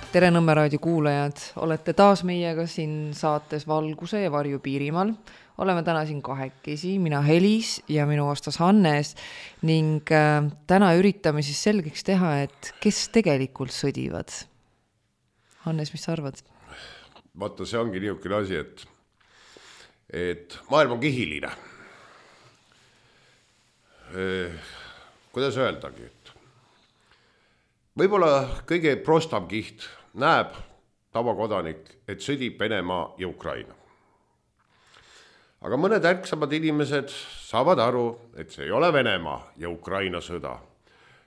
Tere Nõmme raadio kuulajad, olete taas meiega siin saates Valguse ja Varju Piirimaal. Oleme täna siin kahekesi, mina Helis ja minu vastas Hannes ning täna üritame siis selgeks teha, et kes tegelikult sõdivad. Hannes, mis sa arvad? Vaata, see ongi niisugune asi, et maailm on kihiline. Kuidas öeldagi, et võib-olla kõige prostam kiht näeb tavakodanik, et sõdib Venemaa ja Ukraina. Aga mõned ärksamad inimesed saavad aru, et see ei ole Venemaa ja Ukraina sõda.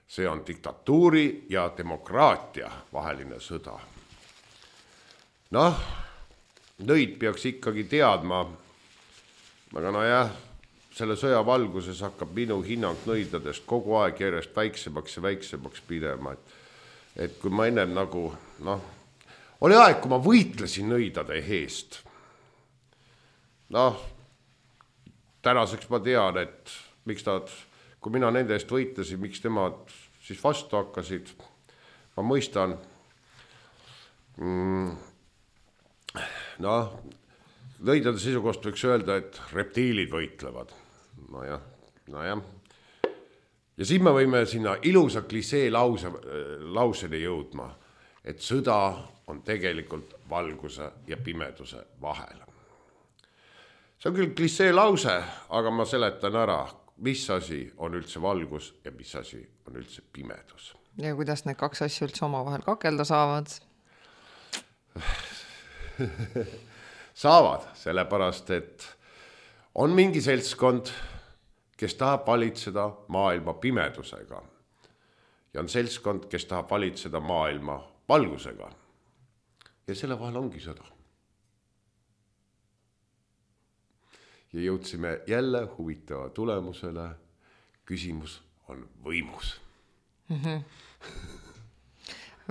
See on diktatuuri ja demokraatia vaheline sõda. Nõid peaks ikkagi teadma, aga selle sõja valguses hakkab minu hinnang nõidadest kogu aeg järjest väiksemaks ja väiksemaks pidema. Et kui ma enne oli aeg, kui ma võitlesin nõidade eest. Tänaseks ma tean, et miks kui mina nende eest võitlesin, miks nemad siis vastu hakkasid. Ma mõistan, nõidade seisukohast võiks öelda, et reptiilid võitlevad. Ja siin me võime sinna ilusa klisee lauseni jõudma, et sõda on tegelikult valguse ja pimeduse vahel. See on küll klisee lause, aga ma seletan ära, mis asi on üldse valgus ja mis asi on üldse pimedus. Ja kuidas need kaks asja üldse omavahel kakelda saavad? Saavad, sellepärast, et on mingi seltskond, kes tahab valitseda maailma pimedusega. Ja on seltskond, kes tahab valitseda maailma valgusega. Ja selle vahel ongi sõda. Ja jõudsime jälle huvitava tulemusele. Küsimus on võimus.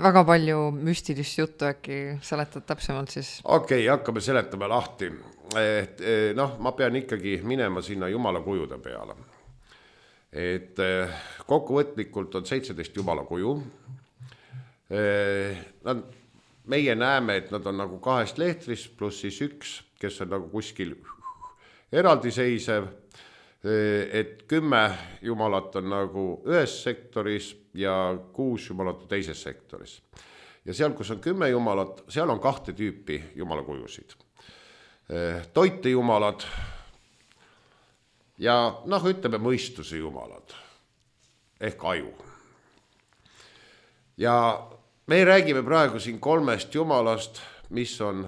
Väga palju müstilist juttu, äkki seletad täpsemalt siis? Okei, hakkame seletama lahti. Ma pean ikkagi minema sinna jumala kujude peale. Et kokkuvõtlikult on 17 jumala kuju. Meie näeme, et nad on nagu 2 lehtris pluss siis 1, kes on nagu kuskil eraldiseisev. Et 10 jumalat on nagu ühes sektoris ja 6 jumalat on teises sektoris. Ja seal, kus on 10 jumalat, seal on 2 tüüpi jumala kujusid. Toitejumalad ja ütleme mõistuse jumalad ehk aju. Ja me räägime praegu siin 3 jumalast, mis on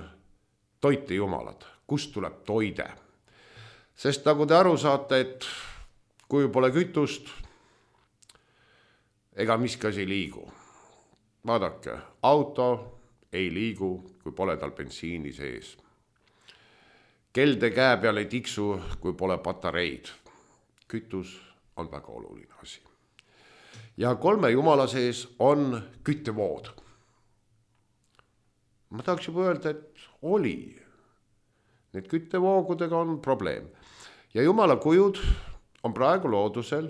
toitejumalad, kust tuleb toide. Sest nagu te aru saate, et kui pole kütust, ega miski asi ei liigu. Vaadake, auto ei liigu, kui pole tal bensiini sees. Kelde käe peal ei tiksu, kui pole patareid. Kütus on väga oluline asi. Ja 3 jumala sees on küttevood. Ma tahaks juba öelda, et oli. Need küttevoogudega on probleem. Ja jumala kujud on praegu loodusel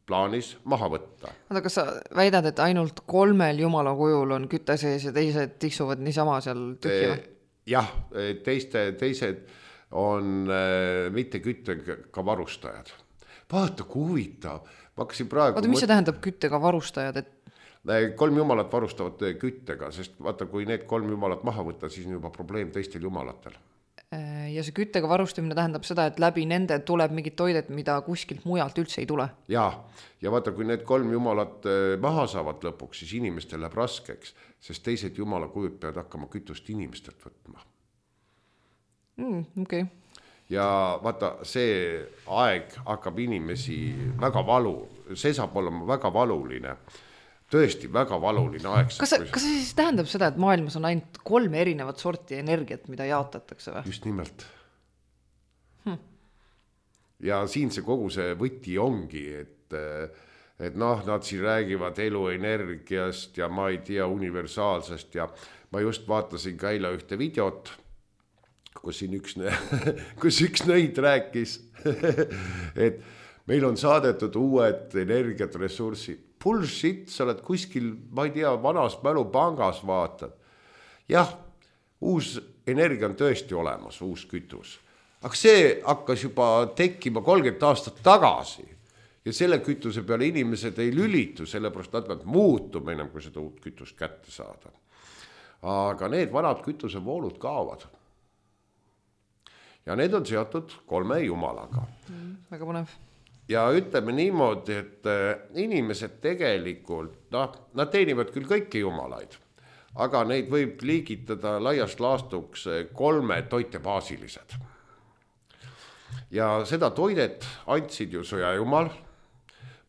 plaanis maha võtta. Kas sa väidad, et ainult 3 jumala kujul on kütte sees ja teised tiksuvad niisama seal tühjima? Jah, teised on mitte küttega varustajad. Vaata, kui huvitav. Mis see tähendab küttega varustajad? 3 jumalat varustavad küttega, sest vaata, kui need 3 jumalat maha võtta, siis on juba probleem teistel jumalatel. Ja see küttega varustamine tähendab seda, et läbi nende tuleb mingit toidet, mida kuskilt mujalt üldse ei tule. Ja vaata, kui need 3 jumalat maha saavad lõpuks, siis inimestel läheb raskeks, sest teised jumala kujud peavad hakkama kütust inimestelt võtma. Okay. Ja vaata, see aeg hakkab inimesi väga valu, see saab olema väga valuline, tõesti väga valuline aeg. Kas see siis tähendab seda, et maailmas on ainult 3 erinevat sorti energiat, mida jaotatakse või? Just nimelt. Ja siin see kogu see võti ongi, et nad siin räägivad eluenergiast ja ma ei tea universaalsest ja ma just vaatasin ka eile ühte videot, kus siin üks nõid rääkis, et meil on saadetud uued energiat, ressurssid. Bullshit, sa oled kuskil, ma ei tea, vanas mälupangas vaatad. jah, uus energia on tõesti olemas, uus kütus. Aga see hakkas juba tekkima 30 aastat tagasi ja selle kütuse peale inimesed ei lülitu, sellepärast nad peavad muutuma enam, kui seda uut kütust kätte saada. Aga need vanad kütusevoolud kaovad. Ja need on seotud 3 jumalaga. Väga põnev. Ja ütleme niimoodi, et inimesed tegelikult, nad teenivad küll kõiki jumalaid, aga neid võib liigitada laiast laastuks 3 toitebaasilised. Ja seda toidet andsid ju sõjajumal.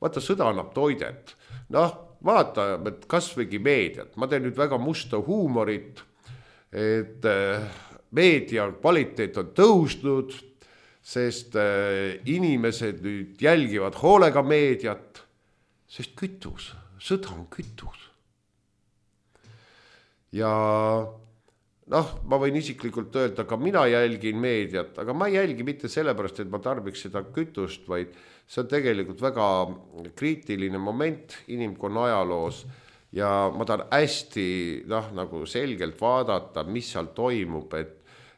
Vaata, sõda annab toidet. Vaata, et kas võigi meediat. Ma teen nüüd väga musta huumorit, et meedia kvaliteet on tõusnud, sest inimesed nüüd jälgivad hoolega meediat, sest kütus, sõda on kütus. Ja ma võin isiklikult öelda, ka mina jälgin meediat, aga ma ei jälgi mitte sellepärast, et ma tarbiks seda kütust, vaid see on tegelikult väga kriitiline moment inimkonna ajaloos ja ma tahan hästi nagu selgelt vaadata, mis seal toimub,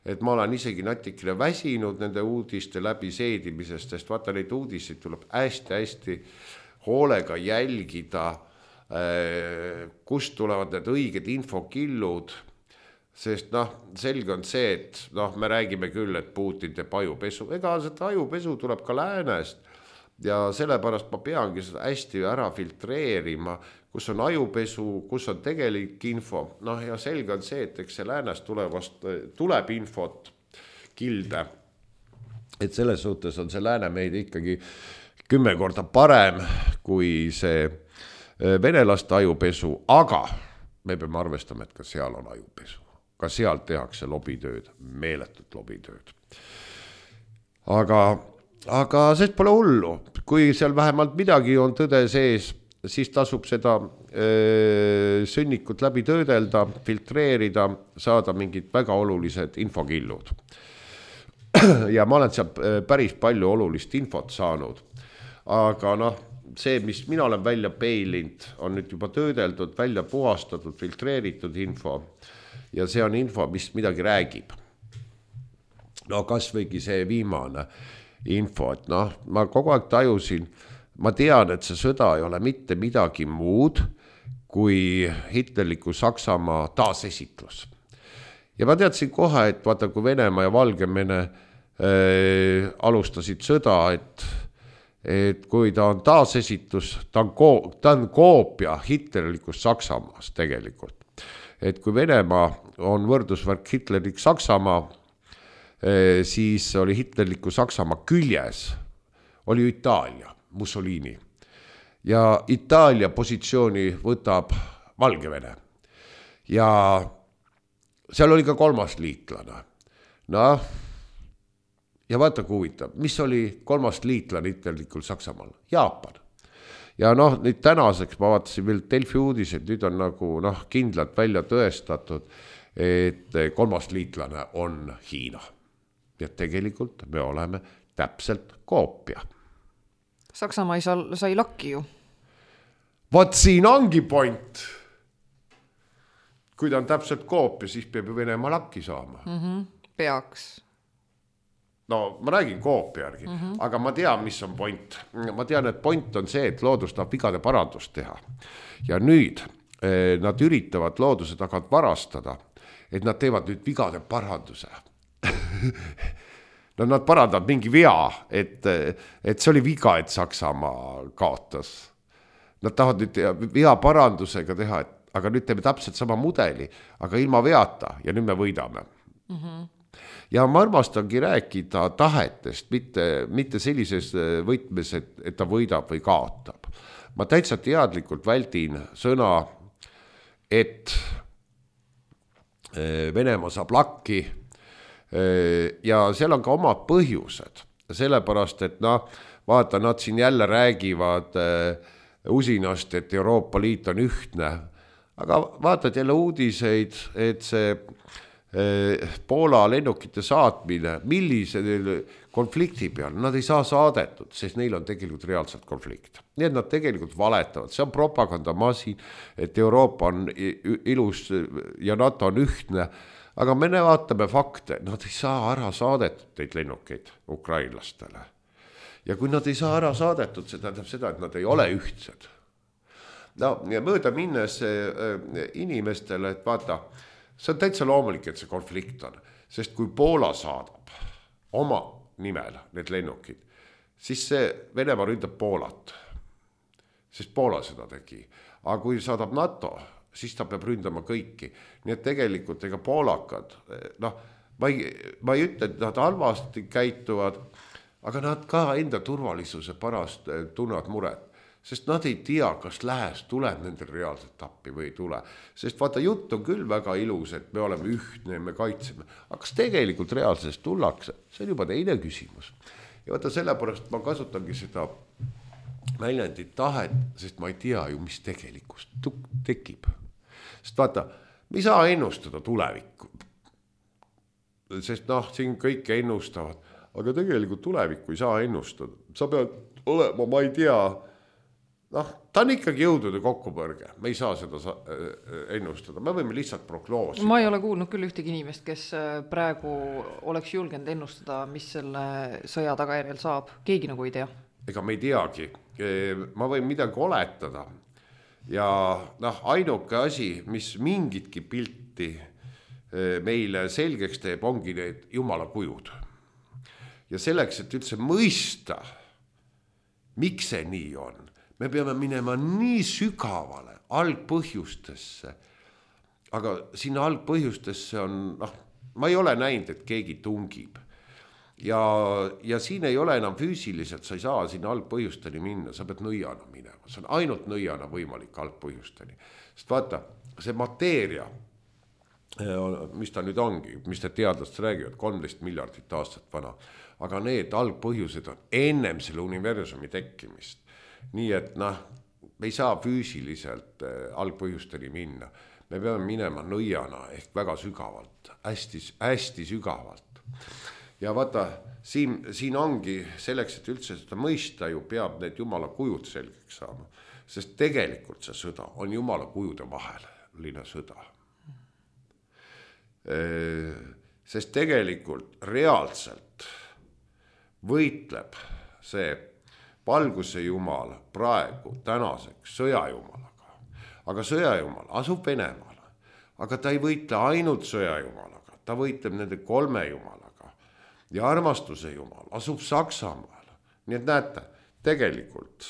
et ma olen isegi natikene väsinud nende uudiste läbi seedimisest, sest vaata, neid uudiseid tuleb hästi-hästi hoolega jälgida, kust tulevad need õiged infokillud, sest selge on see, et me räägime küll, et Putin teeb ajupesu, ega seda ajupesu tuleb ka läänest ja sellepärast ma peangi seda hästi ära filtreerima, kus on ajupesu, kus on tegelik info. Ja selge on see, et eks see läänest tuleb infot kilde. Et selles suhtes on see lääne meid ikkagi 10 korda parem kui see venelaste ajupesu, aga me peame arvestama, et ka seal on ajupesu. Ka seal tehakse lobitööd, meeletut lobitööd. Aga sest pole hullu. Kui seal vähemalt midagi on tõde sees, siis tasub seda sõnnikut läbi töödelda, filtreerida, saada mingid väga olulised infokillud. Ja ma olen seal päris palju olulist infot saanud. Aga see, mis mina olen välja peilinud, on nüüd juba töödeldud, välja puhastatud, filtreeritud info. Ja see on info, mis midagi räägib. Kas võigi see viimane info, et ma kogu aeg tajusin, ma tean, et see sõda ei ole mitte midagi muud kui hitlerliku Saksamaa taasesitlus. Ja ma teadsin kohe, et vaata, kui Venemaa ja Valgevene alustasid sõda, et kui ta on taasesitlus, ta on koopia hitlerlikust Saksamaast tegelikult. Et kui Venemaa on võrdusvärk hitlerlik Saksamaa, siis oli hitlerliku Saksamaa küljes, oli Itaalia, Mussolini. Ja Itaalia positsiooni võtab Valgevene. Ja seal oli ka 3. liitlane. Ja vaata kui huvitav, mis oli 3. liitlane hitlerlikul Saksamaal? Jaapan. Ja nüüd tänaseks ma vaatasin veel Delfi uudised, nüüd on nagu kindlalt välja tõestatud, et 3. liitlane on Hiina. Ja tegelikult me oleme täpselt koopia. Saksamaa sai lakki ju. Vaat siin ongi point. Kui ta on täpselt koopia, siis peab ju Venemaa lakki saama. Peaks. Ma räägin koopia järgi, aga ma tean, mis on point. Ma tean, et point on see, et loodus tahab vigade parandust teha. Ja nüüd nad üritavad looduse tagant varastada, et nad teevad nüüd vigade paranduse. Nad parandavad mingi vea, et see oli viga, et Saksamaa kaotas. Nad tahavad nüüd vea parandusega teha, aga nüüd teeme täpselt sama mudeli, aga ilma veata ja nüüd me võidame. Ja ma armastangi rääkida tahetest, mitte sellises võtmes, et ta võidab või kaotab. Ma täitsa teadlikult väldin sõna, et Venemaa saab lakki ja seal on ka omad põhjused. Sellepärast, et vaata, nad siin jälle räägivad usinast, et Euroopa Liit on ühtne. Aga vaatad jälle uudiseid, et see Poola lennukite saatmine, millise konflikti peal, nad ei saa saadetud, sest neil on tegelikult reaalselt konflikt. Nii et nad tegelikult valetavad, see on propagandamasin, et Euroopa on ilus ja NATO on ühtne, aga me vaatame fakte, nad ei saa ära saadetud neid lennukeid ukrainlastele. Ja kui nad ei saa ära saadetud, see tähendab seda, et nad ei ole ühtsed. No, ja mööda minnes inimestele, et vaata, see on täitsa loomulik, et see konflikt on, sest kui Poola saadab oma nimel need lennukid, siis see Venemaa ründab Poolat, sest Poola seda tegi. Aga kui saadab NATO, siis ta peab ründama kõiki. Nii et tegelikult ega poolakad, ma ei ütle, et nad halvasti käituvad, aga nad ka enda turvalisuse pärast tunnevad muret. Sest nad ei tea, kas Lääs tuleb nendel reaalselt appi või ei tule. Sest vaata, jutt on küll väga ilus, et me oleme ühtne ja me kaitseme. Aga kas tegelikult reaalselt tullakse? See on juba teine küsimus. Ja vaata, sellepärast ma kasutangi seda väljendit tahet, sest ma ei tea ju, mis tegelikult tekib. Sest vaata, me ei saa ennustada tulevikku. Sest siin kõik ennustavad, aga tegelikult tulevikku ei saa ennustada. Sa pead olema, ma ei tea, ta on ikkagi jõudude kokkupõrge. Me ei saa seda ennustada. Me võime lihtsalt prognoosida. Ma ei ole kuulnud küll ühtegi inimest, kes praegu oleks julgenud ennustada, mis selle sõja tagajärjel saab. Keegi nagu ei tea. Ega me ei teagi. Ma võin midagi oletada. Ja ainuke asi, mis mingitki pilti meile selgeks teeb, ongi need jumala kujud. Ja selleks, et üldse mõista, miks see nii on, me peame minema nii sügavale algpõhjustesse, aga sinna algpõhjustesse on, ma ei ole näinud, et keegi tungib. Ja siin ei ole enam füüsiliselt, sa ei saa sinna algpõhjusteni minna, sa pead nõiana minema. See on ainult nõiana võimalik algpõhjusteni. Sest vaata, see mateeria, mis ta nüüd ongi, mis te teadlased räägivad, 13 miljardit aastat vana, aga need algpõhjused on ennem selle universumi tekkimist. Nii et me ei saa füüsiliselt algpõhjusteni minna. Me peame minema nõiana ehk väga sügavalt, hästi sügavalt. Ja vaata, siin ongi selleks, et üldse seda mõista ju peab need jumala kujud selgeks saama. Sest tegelikult see sõda on jumala kujude vaheline sõda. Sest tegelikult reaalselt võitleb see valguse jumal praegu tänaseks sõjajumalaga. Aga sõjajumal asub Venemaal. Aga ta ei võitle ainult sõjajumalaga. Ta võitleb nende 3 jumalaga. Ja armastuse jumal asub Saksamaal. Nii et näete, tegelikult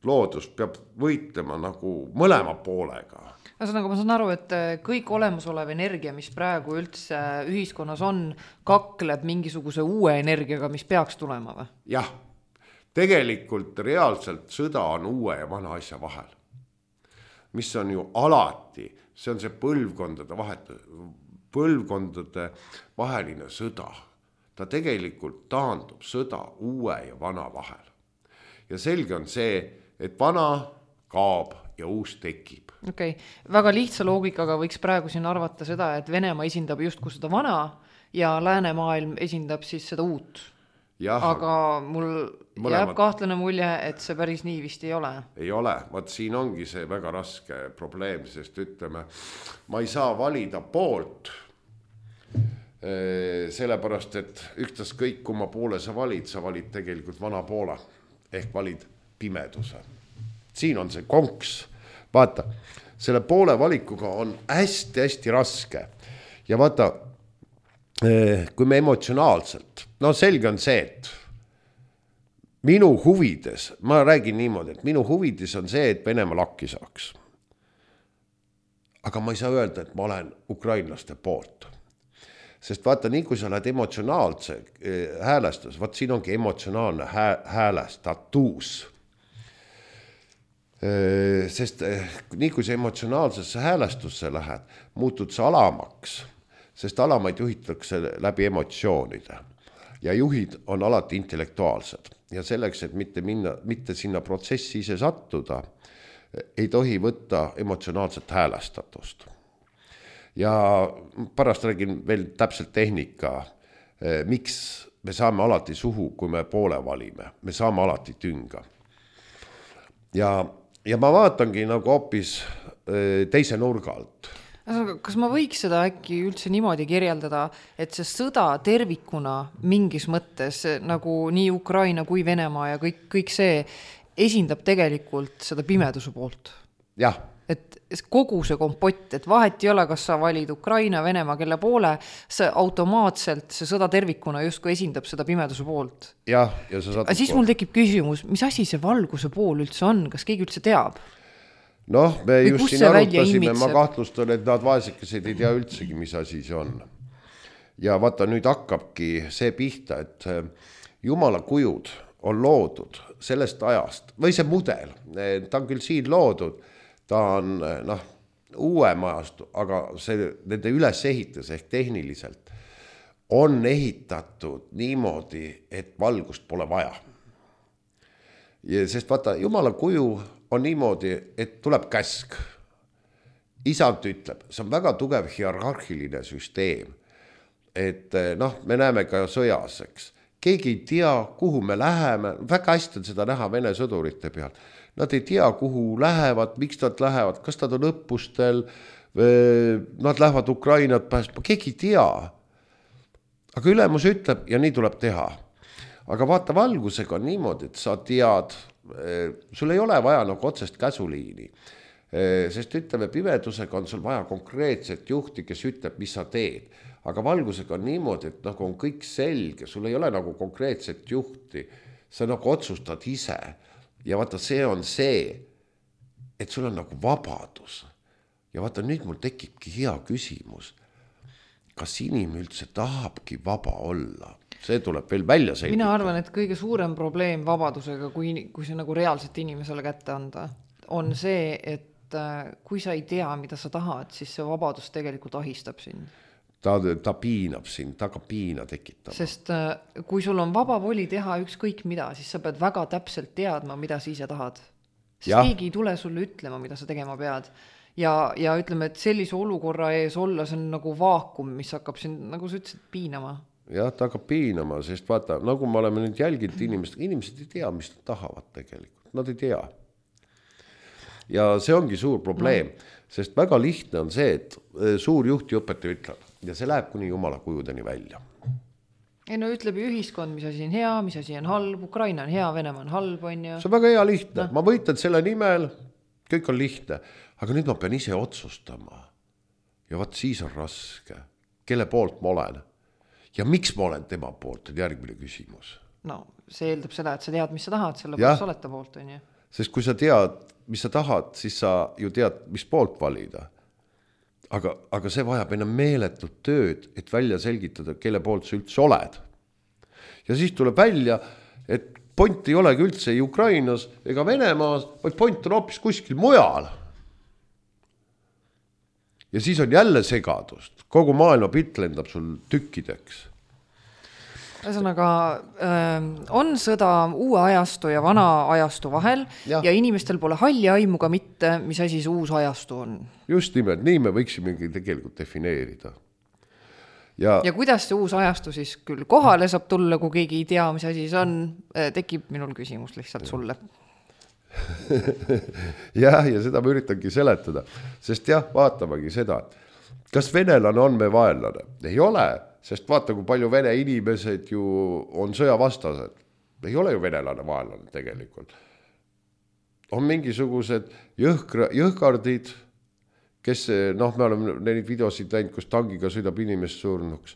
loodus peab võitlema nagu mõlema poolega. Ühesõnaga, ma saan aru, et kõik olemasolev energia, mis praegu üldse ühiskonnas on, kakleb mingisuguse uue energiaga, mis peaks tulema või? Jah. Tegelikult reaalselt sõda on uue ja vana asja vahel. Mis on ju alati, see on see põlvkondade vaheline sõda. Ta tegelikult taandub sõda uue ja vana vahel. Ja selge on see, et vana kaob ja uus tekib. Okei. Väga lihtsa loogikaga võiks praegu siin arvata seda, et Venemaa esindab justkui seda vana ja läänemaailm esindab siis seda uut. Ja, aga mul jääb kahtlane mulje, et see päris nii vist ei ole. Ei ole, vaat siin ongi see väga raske probleem, sest ütleme, ma ei saa valida poolt, sellepärast, et üktas kõik, kui ma poole sa valid tegelikult vana poole, ehk valid pimeduse. Siin on see konks, vaata, selle poole valikuga on hästi raske ja vaata, kui me emotsionaalselt, selge on see, et minu huvides, ma räägin niimoodi, et minu huvides on see, et Venemaa lakki saaks. Aga ma ei saa öelda, et ma olen ukrainlaste poolt. Sest vaata, nii kui sa oled emotsionaalse häälestus, vaat siin ongi emotsionaalne häälestatus. Sest nii kui sa emotsionaalsesse häälestusse lähed, muutud sa alamaks. Sest alamaid juhitakse läbi emotsioonide ja juhid on alati intellektuaalsed ja selleks, et mitte sinna protsessi ise sattuda, ei tohi võtta emotsionaalset häälestatust. ja pärast räägin veel täpselt tehnika, miks me saame alati suhu, kui me poole valime, me saame alati tünga. Ja ma vaatangi nagu hoopis teise nurga alt. Kas ma võiks seda äkki üldse niimoodi kirjeldada, et see sõda tervikuna mingis mõttes nagu nii Ukraina kui Venemaa ja kõik see esindab tegelikult seda pimeduse poolt? Jah. Et kogu see kompott, et vahet ei ole, kas sa valid Ukraina, Venemaa, kelle poole, see automaatselt, see sõda tervikuna justkui esindab seda pimeduse poolt. Jah, ja sa saad... Siis mul tekib küsimus, mis asi see valguse pool üldse on? Kas keegi üldse teab? Noh, me just siin arutasime, ma kahtlustan, et nad vaesekesed ei tea üldsegi, mis asi see on. Ja vaata, nüüd hakkabki see pihta, et Jumala kujud on loodud sellest ajast, või see mudel, ta on küll siin loodud, ta on uuem ajastu, aga see, nende ülesehitus ehk tehniliselt on ehitatud niimoodi, et valgust pole vaja. Ja sest vaata, Jumala kuju on niimoodi, et tuleb käsk. Isand ütleb, see on väga tugev hierarhiline süsteem. Et me näeme ka sõjas, eks. Keegi ei tea, kuhu me läheme. Väga hästi on seda näha Vene sõdurite peal. Nad ei tea, kuhu lähevad, miks nad lähevad, kas nad on õppustel, nad lähevad Ukrainat päästma, keegi ei tea. Aga ülemus ütleb ja nii tuleb teha. Aga vaata, valgusega on niimoodi, et sa tead, sul ei ole vaja nagu otsest käsuliini, sest ütleme, pimedusega on sul vaja konkreetset juhti, kes ütleb, mis sa teed. Aga valgusega on niimoodi, et nagu on kõik selge, sul ei ole nagu konkreetset juhti, sa nagu otsustad ise. Ja vaata, see on see, et sul on nagu vabadus. Ja vaata, nüüd mul tekibki hea küsimus. Kas inimene üldse tahabki vaba olla? See tuleb veel välja selgitada. Mina arvan, et kõige suurem probleem vabadusega, kui see nagu reaalselt inimesele kätte anda, on see, et kui sa ei tea, mida sa tahad, siis see vabadus tegelikult ahistab sind. Ta piinab sind, ta ka piina tekitama. Sest kui sul on vaba voli teha ükskõik mida, siis sa pead väga täpselt teadma, mida sa ise tahad. Sest keegi ei tule sulle ütlema, mida sa tegema pead. Ja ütleme, et sellise olukorra ees olla, see on nagu vaakum, mis hakkab sind, nagu sa ütlesid, piinama. Jah, ta hakkab piinama, sest vaata, nagu me oleme nüüd jälginud inimesed ei tea, mis nad tahavad tegelikult. Nad ei tea. Ja see ongi suur probleem, sest väga lihtne on see, et suur juhti õpetaja ütleb ja see läheb kuni Jumala kujudeni välja. Ei no ütleb ühiskond, mis asi on hea, mis asi on halb, Ukraina on hea, Venemaa on halb, on ju. See on väga hea lihtne, ma võitan selle nimel, kõik on lihtne, aga nüüd ma pean ise otsustama. Ja vaat siis on raske, kelle poolt ma olen ja miks ma olen tema poolt, on järgmine küsimus. No see eeldab seda, et sa tead, mis sa tahad, selle poolt sa oled ta poolt, on ju. Sest kui sa tead, mis sa tahad, siis sa ju tead, mis poolt valida. Aga see vajab enam meeletut tööd, et välja selgitada, kelle poolt sa üldse oled. Ja siis tuleb välja, et point ei olegi üldse ei Ukrainas ega Venemaas, vaid point on hoopis kuskil mujal. Ja siis on jälle segadust. Kogu maailma pilt lendab sul tükkideks. Ühesõnaga, on sõda uue ajastu ja vana ajastu vahel ja inimestel pole halli aimuga mitte, mis asi see uus ajastu on. Just nimelt, nii me võiksimegi tegelikult defineerida. Ja kuidas see uus ajastu siis küll kohale saab tulla, kui keegi ei tea, mis asi see on, tekib minul küsimus lihtsalt sulle. ja seda ma üritangi seletada, sest vaatamagi seda, kas venelane on me vaenlane? Ei ole. Sest vaata, kui palju vene inimesed ju on sõjavastased. Ei ole ju venelane vaenlane tegelikult. On mingisugused jõhkardid, kes, me oleme neid videosid näinud, kus tangiga sõidab inimest surnuks.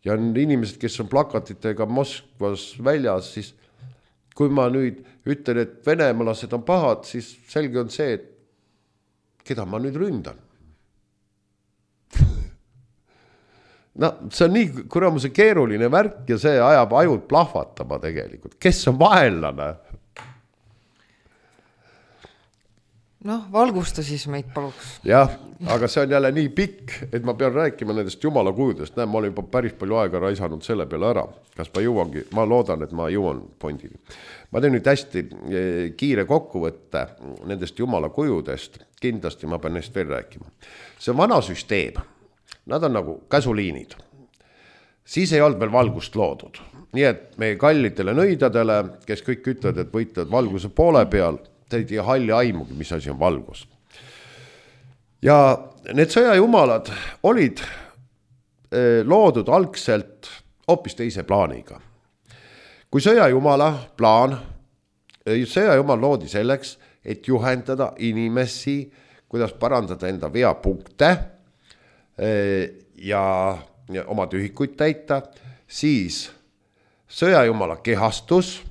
Ja on inimesed, kes on plakatitega Moskvas väljas, siis kui ma nüüd ütlen, et venemalased on pahad, siis selge on see, et keda ma nüüd ründan. See on nii kuramuse keeruline värk ja see ajab ajud plahvatama tegelikult. Kes on vaenlane? Valgusta siis meid paluks. Jah, aga see on jälle nii pikk, et ma pean rääkima nendest Jumala kujudest. Ma olen juba päris palju aega raisanud selle peale ära. Kas ma jõuangi? Ma loodan, et ma jõuan pointini. Ma teen nüüd hästi kiire kokkuvõtte nendest Jumala kujudest. Kindlasti ma pean neist veel rääkima. See on vana süsteem. nad on nagu käsuliinid. Siis ei olnud veel valgust loodud. Nii et meie kallitele nõidadele, kes kõik ütlevad, et võitlevad valguse poole peal, te ei tea halli aimugi, mis asi on valgus. Ja need sõjajumalad olid loodud algselt hoopis teise plaaniga. Kui sõjajumal loodi selleks, et juhendada inimesi, kuidas parandada enda veapunkte ja oma tühikuid täita, siis sõjajumala kehastus,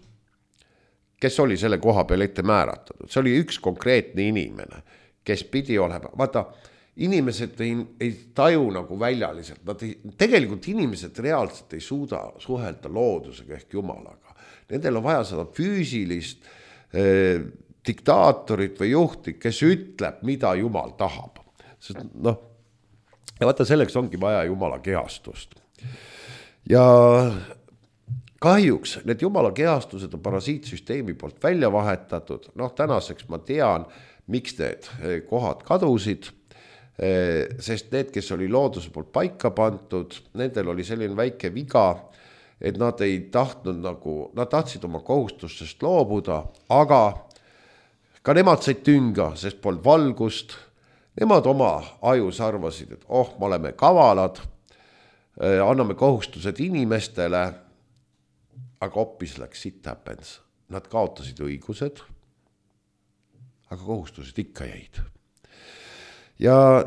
kes oli selle koha peal ette määratud. See oli üks konkreetne inimene, kes pidi olema. Vaata, inimesed ei taju nagu väljaliselt. Tegelikult inimesed reaalselt ei suuda suhelda loodusega ehk jumalaga. Nendel on vaja seda füüsilist diktaatorit või juhti, kes ütleb, mida jumal tahab. Sest, ja vaata, selleks ongi vaja jumala kehastust. Ja kahjuks need jumala kehastused on parasiitsüsteemi poolt välja vahetatud. Tänaseks ma tean, miks need kohad kadusid, sest need, kes oli looduse poolt paika pantud, nendel oli selline väike viga, et nad ei tahtnud nad tahtsid oma kohustustest loobuda, aga ka nemad said tünga, sest polnud valgust. Nemad oma ajus arvasid, et me oleme kavalad, anname kohustused inimestele, aga hoopis läks shit happens. Nad kaotasid õigused, aga kohustused ikka jäid. Ja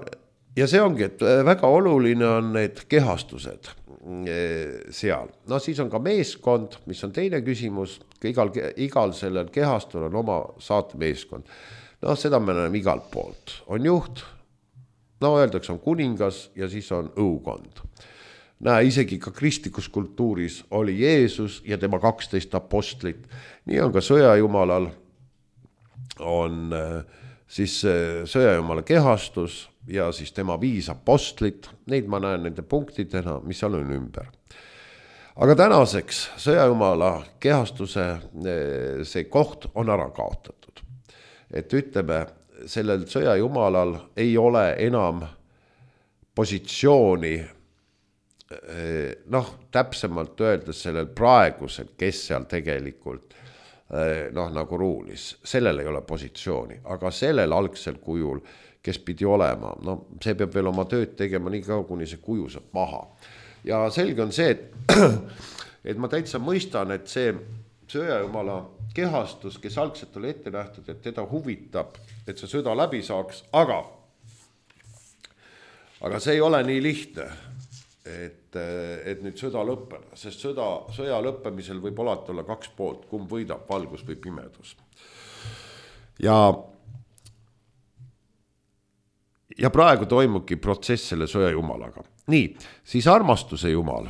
see ongi, et väga oluline on need kehastused seal. Siis on ka meeskond, mis on teine küsimus. Igal sellel kehastul on oma saatemeeskond. Seda me näeme igalt poolt. On juht, öeldakse on kuningas ja siis on õukond. Isegi ka kristlikus kultuuris oli Jeesus ja tema 12 apostlit. Nii on ka sõjajumalal on siis sõjajumala kehastus ja siis tema 5 apostlit. Neid ma näen nende punktidena, mis seal on ümber. Aga tänaseks sõjajumala kehastuse see koht on ära kaotatud. Et ütleme, sellel sõjajumalal ei ole enam positsiooni, täpsemalt öeldes sellel praegusel, kes seal tegelikult nagu ruulis. Sellel ei ole positsiooni, aga sellel algsel kujul, kes pidi olema, see peab veel oma tööd tegema nii kaua, kuni see kuju saab maha. Ja selge on see, et ma täitsa mõistan, et see sõjajumala kehastus, kes algselt oli ette nähtud, et teda huvitab, et see sõda läbi saaks, aga see ei ole nii lihtne, et nüüd sõda lõppeda, sest sõja lõppemisel võib alati olla 2 poolt, kumb võidab, valgus või pimedus. Ja praegu toimubki protsess selle sõjajumalaga. Nii, siis armastuse jumal.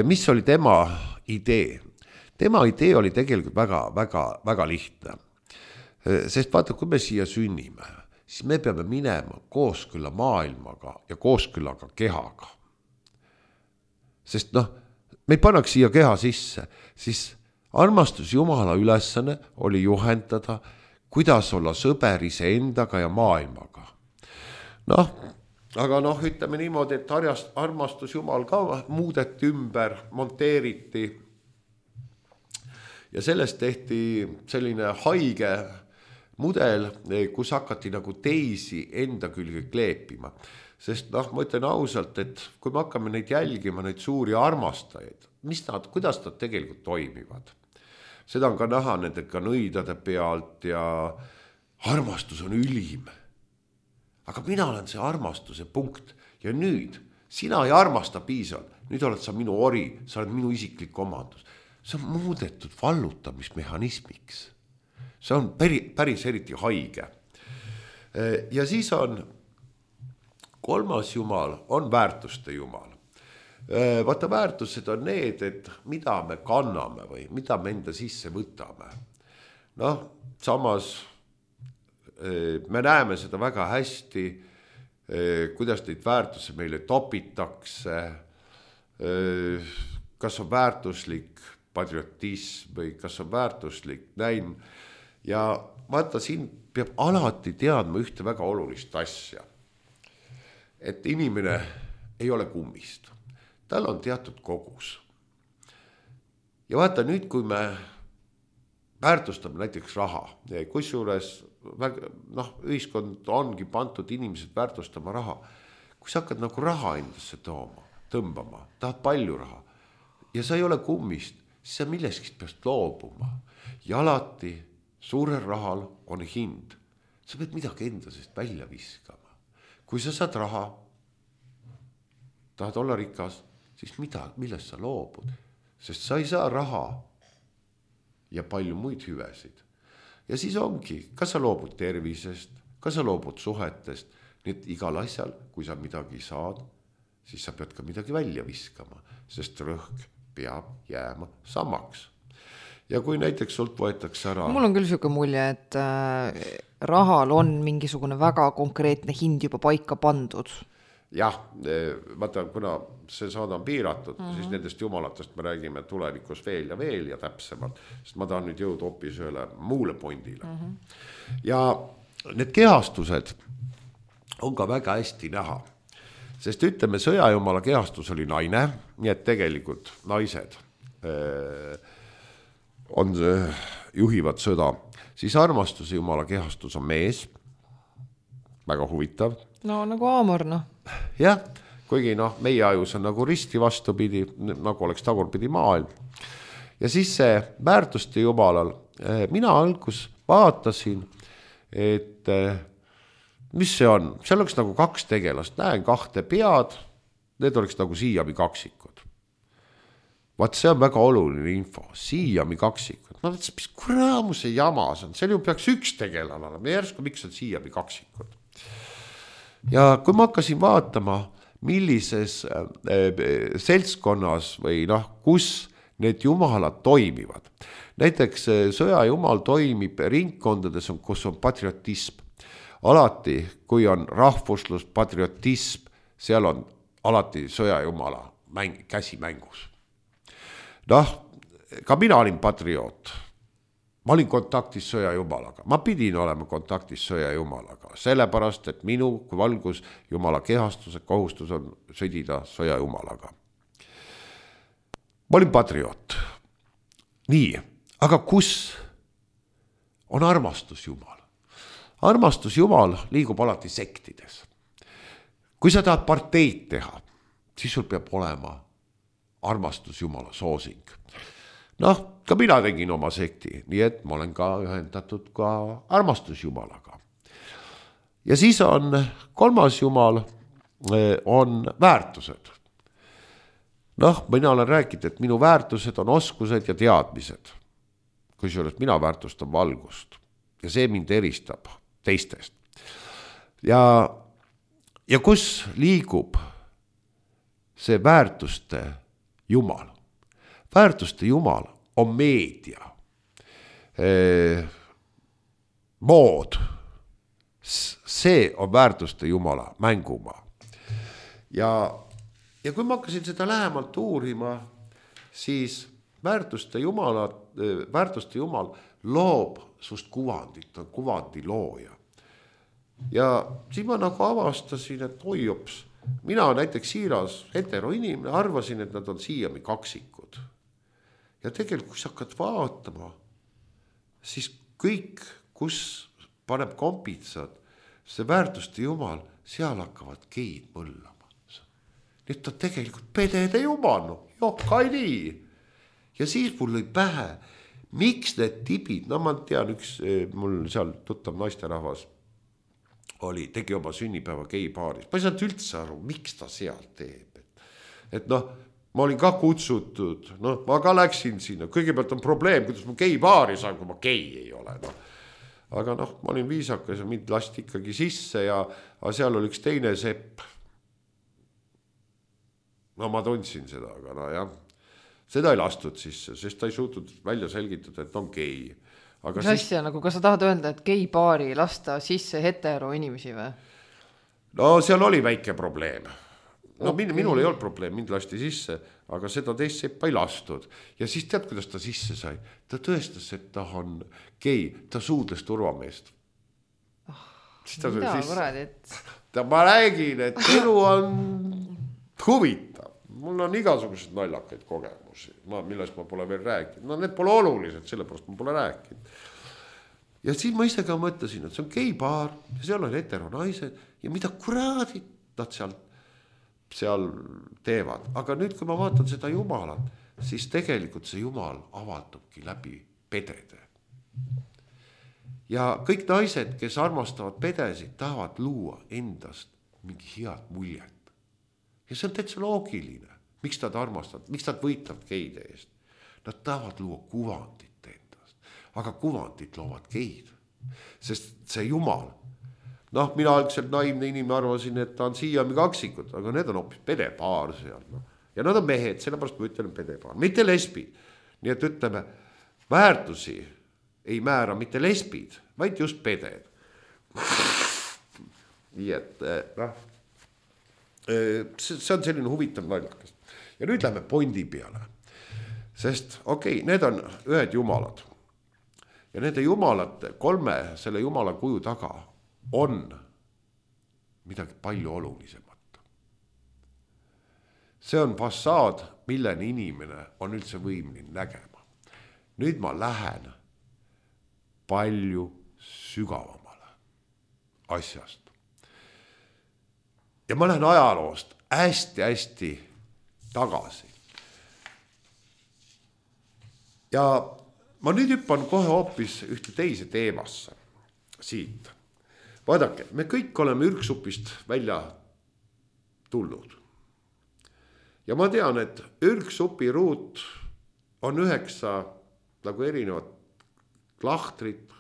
Mis oli tema idee? Tema idee oli tegelikult väga, väga, väga lihtne. Sest vaata, kui me siia sünnime, siis me peame minema kooskõlla maailmaga ja kooskõllaga kehaga. Sest me ei pannaks siia keha sisse, siis armastus Jumala ülesanne oli juhendada, kuidas olla sõber iseendaga ja maailmaga. Aga ütleme niimoodi, et armastus Jumal ka muudeti ümber, monteeriti ja sellest tehti selline haige mudel, kus hakati nagu teisi enda külge kleepima. Sest ma ütlen ausalt, et kui me hakkame neid jälgima, neid suuri armastajaid, kuidas nad tegelikult toimivad. Seda on ka näha nendega nõidade pealt ja armastus on ülim. Aga mina olen see armastuse punkt ja nüüd sina ei armasta piisavalt, nüüd oled sa minu ori, sa oled minu isiklik omandus. See on muudetud vallutamismehhanismiks. See on päris eriti haige. Ja siis on kolmas jumal, on väärtuste jumal. Vaata, väärtused on need, et mida me kanname või mida me enda sisse võtame. Samas me näeme seda väga hästi, kuidas neid väärtusi meile topitakse, kas on väärtuslik patriotism või kas on väärtuslik näin. Ja vaata, siin peab alati teadma ühte väga olulist asja. Et inimene ei ole kummist. Tal on teatud kogus. Ja vaata nüüd, kui me väärtustame näiteks raha, kusjuures ühiskond ongi pandud inimesed väärtustama raha. Kui sa hakkad nagu raha endasse tõmbama, tahad palju raha ja sa ei ole kummist, siis sa milleskist peast loobuma. Ja alati suurel rahal on hind. Sa pead midagi endasest välja viskama. Kui sa saad raha, tahad olla rikas, siis millest sa loobud? Sest sa ei saa raha ja palju muid hüvesid. Ja siis ongi, kas sa loobud tervisest, kas sa loobud suhetest, nii et igal asjal, kui sa midagi saad, siis sa pead ka midagi välja viskama, sest rõhk peab jääma samaks. Ja kui näiteks sult võetakse ära... Mul on küll selline mulje, et rahal on mingisugune väga konkreetne hind juba paika pandud. Jah, vaata, kuna see saada on piiratud, siis nendest jumalatest me räägime tulevikus veel ja täpsemalt, sest ma tahan nüüd jõuda hoopis ühele muule pointile. Ja need kehastused on ka väga hästi näha, sest ütleme, sõjajumala kehastus oli naine, nii et tegelikult naised juhivad sõda, siis armastuse jumala kehastus on mees, väga huvitav. No nagu Aamor, Jah, kuigi meie ajus on nagu risti vastupidi, nagu oleks tagurpidi maailm. Ja siis see väärtuste jumalal, mina algus vaatasin, et mis see on? Seal oleks nagu 2 tegelast, näen 2 pead, need oleks nagu Siiami kaksikud. Vaat see on väga oluline info, Siiami kaksikud. Mis kuramuse jamas on, seal ju peaks 1 tegelane olema, järsku miks on Siiami kaksikud. Ja kui ma hakkasin vaatama, millises seltskonnas või kus need jumalad toimivad. Näiteks sõjajumal toimib ringkondades, kus on patriotism. Alati, kui on rahvuslus, patriotism, seal on alati sõjajumala käsi mängus. Ka mina olin patrioot. Ma olin kontaktis sõjajumalaga. Ma pidin olema kontaktis sõjajumalaga, sellepärast, et minu kui valgus jumala kehastuse kohustus on sõdida sõjajumalaga. Ma olin patrioot. Nii, aga kus on armastus jumal? Armastus jumal liigub alati sektides. Kui sa tahad parteid teha, siis sul peab olema armastus jumala soosing. Ka mina tegin oma sekti, nii et ma olen ka ühendatud ka armastusjumalaga. Ja siis on 3. jumal, on väärtused. Mina olen rääkinud, et minu väärtused on oskused ja teadmised. Kusjuures mina väärtustan valgust ja see mind eristab teistest. Ja kus liigub see väärtuste jumal? Väärtuste jumal on meedia, mood. See on väärtuste jumala mängumaa. Ja kui ma hakkasin seda lähemalt uurima, siis väärtuste jumal loob sust kuvandit, on kuvandi looja. Ja siis ma nagu avastasin, et oijops, mina näiteks siiras heteroinimene arvasin, et nad on Siiami kaksikud. Ja tegelikult, kui sa hakkad vaatama, siis kõik, kus paneb kompitsad, see väärtuste jumal, seal hakkavad geid mõllama. Nüüd ta tegelikult pedede jumal, jokkai nii. Ja siis mul lõi pähe, miks need tibid, ma tean, mul seal tuttav naisterahvas tegi oma sünnipäeva geipaaris. Ma ei saanud üldse aru, miks ta seal teeb. Et ma olin ka kutsutud, ma ka läksin sinna, kõigepealt on probleem, kuidas ma geipaari saan, kui ma gei ei ole. Aga ma olin viisakas ja mind lasti ikkagi sisse ja seal oli üks teine sepp. Ma tundsin seda, aga jah, seda ei lastud sisse, sest ta ei suutnud välja selgitada, et on gei. Aga mis asja, kas sa tahad öelda, et geipaari lasta sisse hetero inimesi või? Seal oli väike probleem. Minul ei olnud probleem, mind lasti sisse, aga seda teist seppa ei lastud. Ja siis tead, kuidas ta sisse sai? Ta tõestas, et ta on gei, ta suudles turvameest. Mida kuradi, et... Ma räägin, et elu on huvitav. Mul on igasugused naljakaid kogemusi, millest ma pole veel rääkinud. No need pole olulised, sellepärast ma pole rääkinud. Ja siis ma ise ka mõtlesin, et see on geibaar ja seal on heteronaised ja mida kuraadid nad seal teevad. Aga nüüd, kui ma vaatan seda jumalat, siis tegelikult see jumal avaldubki läbi pedede. Ja kõik naised, kes armastavad pedesid, tahavad luua endast mingi head muljet. Ja see on täitsa loogiline. Miks nad armastavad, miks nad võitavad geide eest? Nad tahavad luua kuvandit endast. Aga kuvandit loovad geid. Sest see jumal, mina algselt naivne inimene arvasin, et ta on siiami kaksikud, aga need on hoopis pedepaar seal. Ja nad on mehed, sellepärast ma ütlen pedepaar, mitte lesbid. Nii et ütleme, väärtusi ei määra mitte lesbid, vaid just peded. Nii et see on selline huvitav naljakas. Ja nüüd lähme Bondi peale. Sest need on ühed jumalad. Ja nende jumalate, selle jumala kuju taga on midagi palju olulisemat. See on fassaad, milleni inimene on üldse võimline nägema. Nüüd ma lähen palju sügavamale asjast. Ja ma lähen ajaloost hästi tagasi. Ja ma nüüd hüppan kohe hoopis ühte teise teemasse siit. Vaadake, me kõik oleme ürgsupist välja tulnud. Ja ma tean, et ürgsupi ruut on 9 nagu erinevat lahtrit.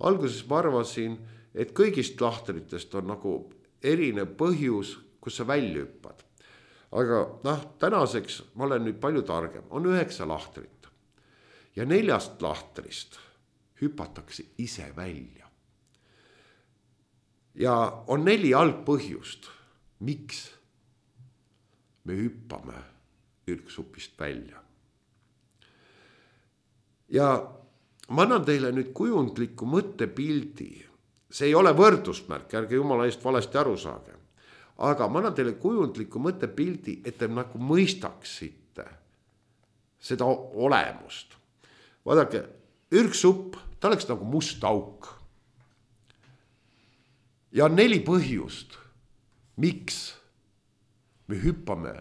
Alguses ma arvasin, et kõigist lahtritest on nagu erinev põhjus, kus sa välja hüppad. Aga tänaseks ma olen nüüd palju targem. On 9 lahtrit. Ja 4 lahtrist hüpatakse ise välja. Ja on 4 algpõhjust, miks me hüppame ürgsupist välja. Ja ma annan teile nüüd kujundliku mõttepildi. See ei ole võrdusmärk, ärge jumala eest valesti aru saage. Aga ma annan teile kujundliku mõttepildi, et te nagu mõistaksite seda olemust. Vaadake, ürgsupp, ta oleks nagu must auk. Ja on 4 põhjust, miks me hüppame.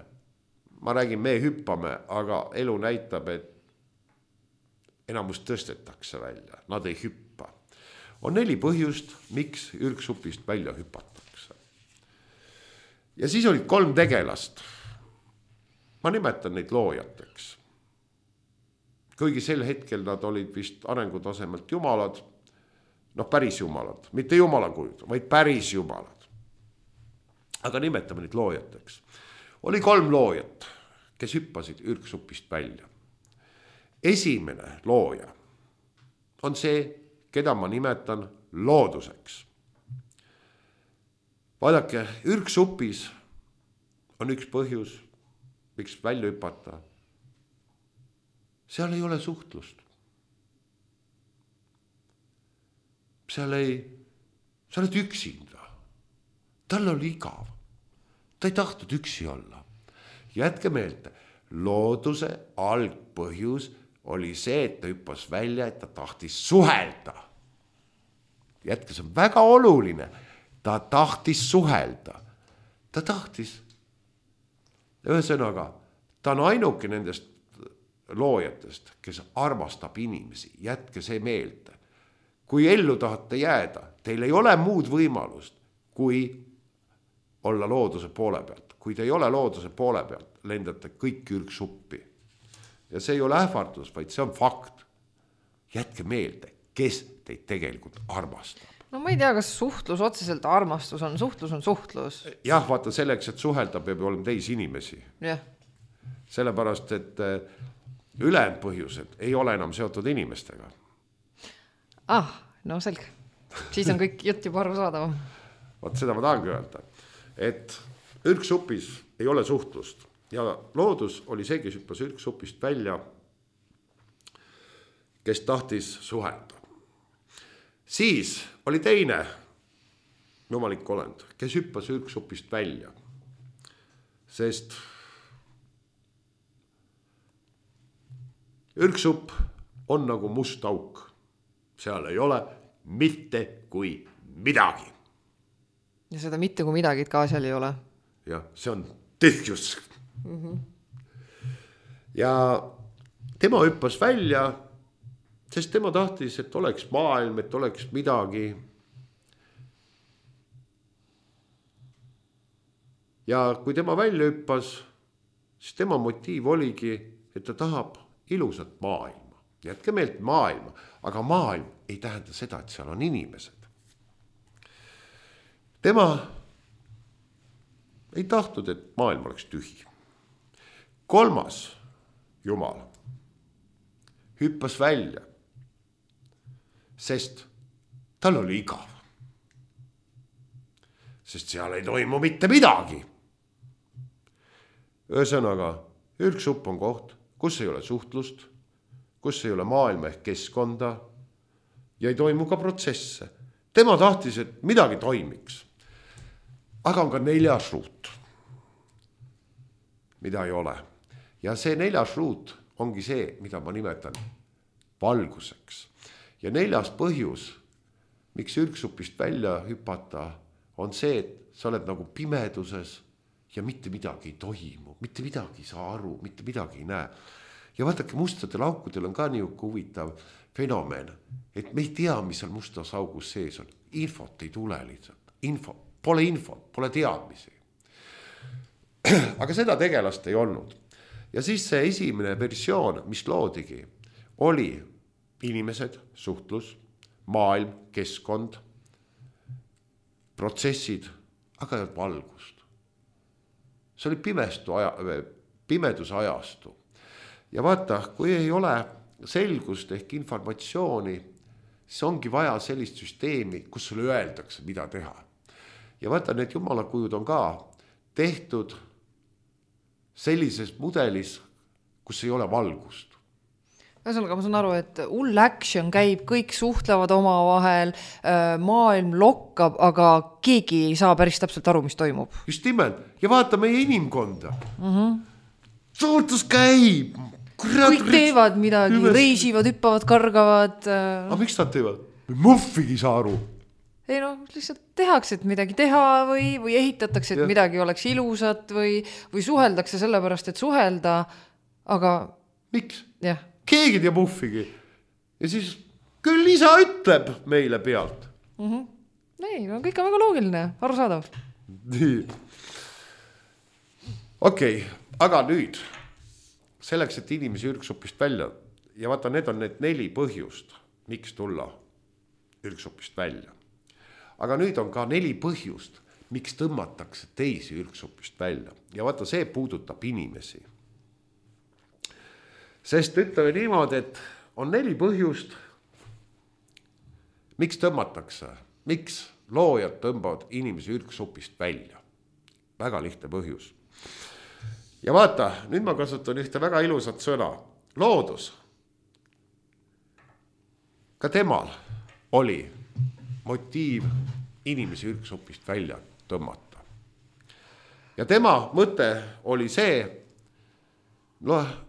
Ma räägin, me hüppame, aga elu näitab, et enamus tõstetakse välja, nad ei hüppa. On 4 põhjust, miks ürgsupist välja hüpatakse. Ja siis olid 3 tegelast. Ma nimetan neid loojateks. Kuigi sel hetkel nad olid vist arengutasemelt jumalad, päris jumalad, mitte jumalakujud, vaid päris jumalad. Aga nimetame neid loojateks. Oli 3 loojat, kes hüppasid ürgsupist välja. Esimene looja on see, keda ma nimetan looduseks. Vaadake, ürgsupis on üks põhjus, miks välja hüpata. Seal ei ole suhtlust. Sa oled üksinda. Tal oli igav. Ta ei tahtnud üksi olla. Jätke meelde, looduse algpõhjus oli see, et ta hüppas välja, et ta tahtis suhelda. Jätke, see on väga oluline. Ta tahtis suhelda. Ta tahtis. Ühesõnaga, ta on ainuke nendest loojatest, kes armastab inimesi. Jätke see meelde. Kui ellu tahate jääda, teil ei ole muud võimalust, kui olla looduse poole pealt. Kui te ei ole looduse poole pealt, lendate kõik ürgsuppi. Ja see ei ole ähvardus, vaid see on fakt. Jätke meelde, kes teid tegelikult armastab. No ma ei tea, kas suhtlus otseselt armastus on. Suhtlus on suhtlus. Jah, vaata selleks, et suhelda peab olema teisi inimesi. Jah. Sellepärast, et ülejäänud põhjused ei ole enam seotud inimestega. No selge. Siis on kõik jutt juba aru saadavam. Vaat seda ma tahangi öelda, et ürgsupis ei ole suhtlust ja loodus oli see, kes hüppas ürgsupist välja, kes tahtis suhelda. Siis oli teine jumalik olend, kes hüppas ürgsupist välja. sest ürgsupp on nagu must auk. Seal ei ole mitte kui midagi. Ja seda mitte kui midagi ka seal ei ole. Jah, see on tühjus. Ja tema hüppas välja, sest tema tahtis, et oleks maailm, et oleks midagi. Ja kui tema välja hüppas, siis tema motiiv oligi, et ta tahab ilusat maailma. Jätke meelt maailma, aga maailm ei tähenda seda, et seal on inimesed. Tema ei tahtnud, et maailm oleks tühi. 3. Jumal hüppas välja, sest tal oli igav. Sest seal ei toimu mitte midagi. Ühesõnaga, ürgsupp on koht, kus ei ole suhtlust, kus ei ole maailma ehk keskkonda ja ei toimu ka protsesse. Tema tahtis, et midagi toimiks. Aga on ka 4. ruut, mida ei ole. Ja see 4. ruut ongi see, mida ma nimetan valguseks. Ja 4. põhjus, miks ürgsupist välja hüpata, on see, et sa oled nagu pimeduses ja mitte midagi ei toimu, mitte midagi ei saa aru, mitte midagi ei näe. Ja vaadake, mustadel aukudel on ka niisugune huvitav fenomen, et me ei tea, mis seal mustas augus sees on. Infot ei tule lihtsalt. Pole infot, pole teadmisi. Aga seda tegelast ei olnud. Ja siis see esimene versioon, mis loodigi, oli inimesed, suhtlus, maailm, keskkond, protsessid, aga ei valgust. See oli pimeduse ajastu. Ja vaata, kui ei ole selgust ehk informatsiooni, siis ongi vaja sellist süsteemi, kus sulle öeldakse, mida teha. Ja vaata, need jumalakujud on ka tehtud sellises mudelis, kus ei ole valgust. Ühesõnaga, ma saan aru, et hull action käib, kõik suhtlevad oma vahel, maailm lokkab, aga keegi ei saa päris täpselt aru, mis toimub. Just nimelt. Ja vaata meie inimkonda. Suhtlus käib. Kõik teevad midagi, reisivad, hüppavad, kargavad. Aga miks nad teevad? Muffigi saa aru. Ei lihtsalt tehakse, et midagi teha või ehitatakse, et midagi oleks ilusat või suheldakse sellepärast, et suhelda, aga... Miks? Jah. Keegi teeb muffigi. Ja siis küll isa ütleb meile pealt. Ei, kõik on väga loogiline, arusaadav. Nii. Okei, aga nüüd... Selleks, et inimesi ürgsupist välja ja vaata, need on need 4 põhjust, miks tulla ürgsupist välja. Aga nüüd on ka 4 põhjust, miks tõmmatakse teisi ürgsupist välja. Ja vaata, see puudutab inimesi. Sest ütleme niimoodi, et on 4 põhjust, miks tõmmatakse, miks loojad tõmbavad inimesi ürgsupist välja. Väga lihtne põhjus. Ja vaata, nüüd ma kasutan ühte väga ilusat sõna. Loodus. Ka temal oli motiiv inimesi ürgsupist välja tõmmata. Ja tema mõte oli see,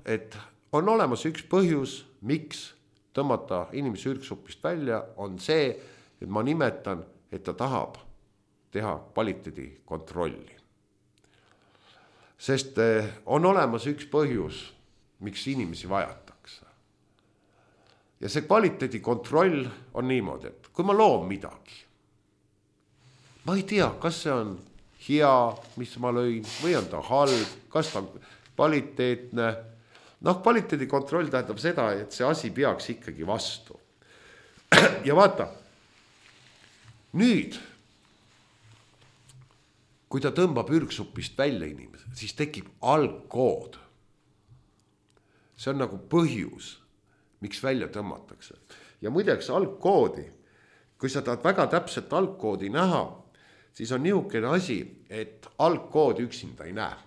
et on olemas üks põhjus, miks tõmmata inimesi ürgsupist välja, on see, et ma nimetan, et ta tahab teha kvaliteedi kontrolli. Sest on olemas üks põhjus, miks inimesi vajatakse. Ja see kvaliteedi kontroll on niimoodi, et kui ma loon midagi, ma ei tea, kas see on hea, mis ma lõin, või on ta halb, kas ta on kvaliteetne. Kvaliteedi kontroll tähendab seda, et see asi peaks ikkagi vastu. Ja vaata, nüüd, kui ta tõmbab ürgsupist välja inimese, siis tekib algkood. See on nagu põhjus, miks välja tõmmatakse. Ja muideks algkoodi, kui sa tahad väga täpselt algkoodi näha, siis on niisugune asi, et algkoodi üksinda ei näe.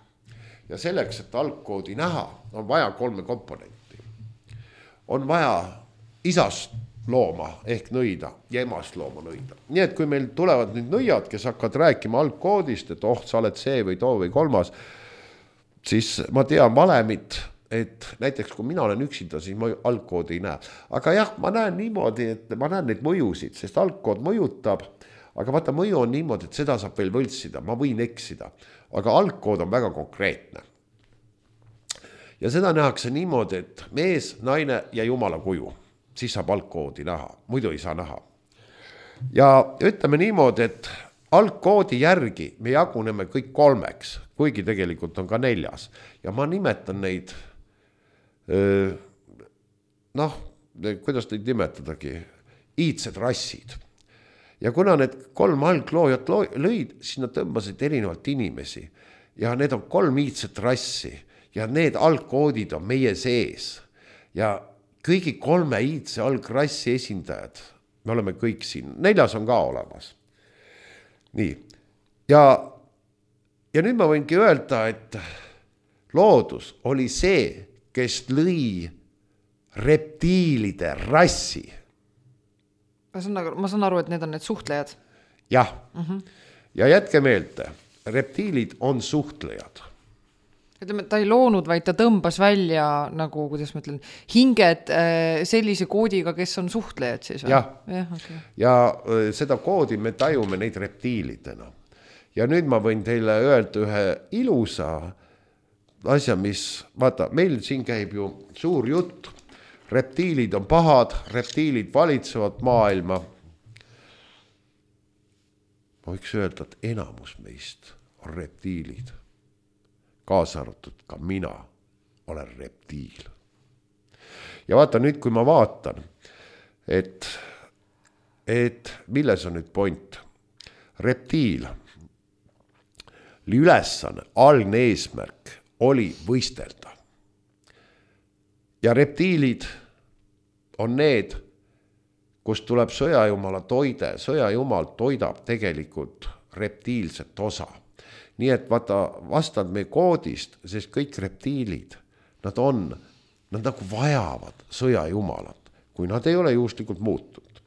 Ja selleks, et algkoodi näha, on vaja 3 komponenti. On vaja isast looma ehk nõida ja emast looma nõida. Nii et kui meil tulevad nüüd nõiad, kes hakkavad rääkima algkoodist, et sa oled see või too või 3, siis ma tean valemit, et näiteks kui mina olen üksinda, siis ma algkoodi ei näe. Aga jah, ma näen niimoodi, et ma näen neid mõjusid, sest algkood mõjutab, aga vaata, mõju on niimoodi, et seda saab veel võltsida, ma võin eksida, aga algkood on väga konkreetne. Ja seda nähakse niimoodi, et mees, naine ja jumala kuju, siis saab algkoodi näha, muidu ei saa näha. Ja ütleme niimoodi, et algkoodi järgi me jaguneme kõik 3, kuigi tegelikult on ka 4. Ja ma nimetan neid, kuidas neid nimetadagi, iidsed rassid. Ja kuna need 3 algloojat lõid, siis nad tõmbasid erinevalt inimesi. Ja need on 3 iidset rassi ja need algkoodid on meie sees. Ja kõigi 3 iidse algrassi esindajad, me oleme kõik siin, 4 on ka olemas. Nii, ja nüüd ma võingi öelda, et loodus oli see, kes lõi reptiilide rassi. Ma saan aru, et need on need suhtlejad. Jah, ja jätke meelde, reptiilid on suhtlejad. Ütleme, ta ei loonud, vaid ta tõmbas välja, nagu, kuidas ma ütlen, hinged sellise koodiga, kes on suhtlejad siis. Jah, okay. Ja seda koodi me tajume neid reptiilidena. Ja nüüd ma võin teile öelda ühe ilusa asja, mis, vaata, meil siin käib ju suur jutt, reptiilid on pahad, reptiilid valitsevad maailma. Ma võiks öelda, et enamus meist on reptiilid. Kaasa arvatud ka mina olen reptiil. Ja vaata nüüd, kui ma vaatan, et milles on nüüd point. Reptiil ülesanne, algne eesmärk oli võistelda. Ja reptiilid on need, kus tuleb sõjajumala toide. Sõjajumal toidab tegelikult reptiilset osa. Nii et vaata, vastand meie koodist, sest kõik reptiilid, nad nagu vajavad sõjajumalat, kui nad ei ole juhuslikult muutunud.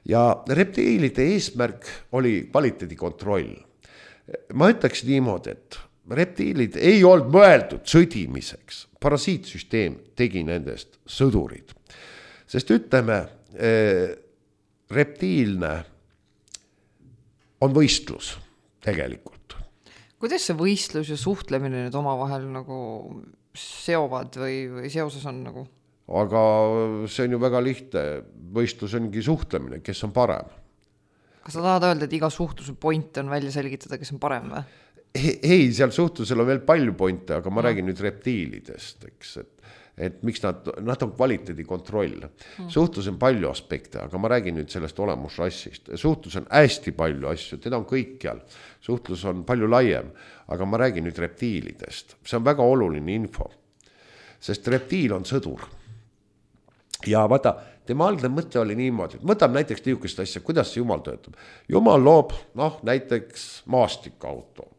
Ja reptiilide eesmärk oli kvaliteedikontroll. Ma ütleks niimoodi, et reptiilid ei olnud mõeldud sõdimiseks. Parasiitsüsteem tegi nendest sõdurid. Sest ütleme, reptiilne on võistlus tegelikult. Kuidas see võistlus ja suhtlemine nüüd omavahel nagu seovad või seoses on nagu? Aga see on ju väga lihtne. Võistlus ongi suhtlemine, kes on parem. Kas sa tahad öelda, et iga suhtluse point on välja selgitada, kes on parem või? Ei, seal suhtlusel on veel palju pointe, aga ma räägin nüüd reptiilidest, eks, et miks nad on kvaliteedikontroll. Suhtlus on palju aspekte, aga ma räägin nüüd sellest olemusrassist. Suhtlus on hästi palju asju, teda on kõikjal. Suhtlus on palju laiem, aga ma räägin nüüd reptiilidest. See on väga oluline info, sest reptiil on sõdur. Ja vaata, tema algne mõte oli niimoodi, et võtab näiteks niisugust asja, kuidas see Jumal töötab. Jumal loob, näiteks maastikauto.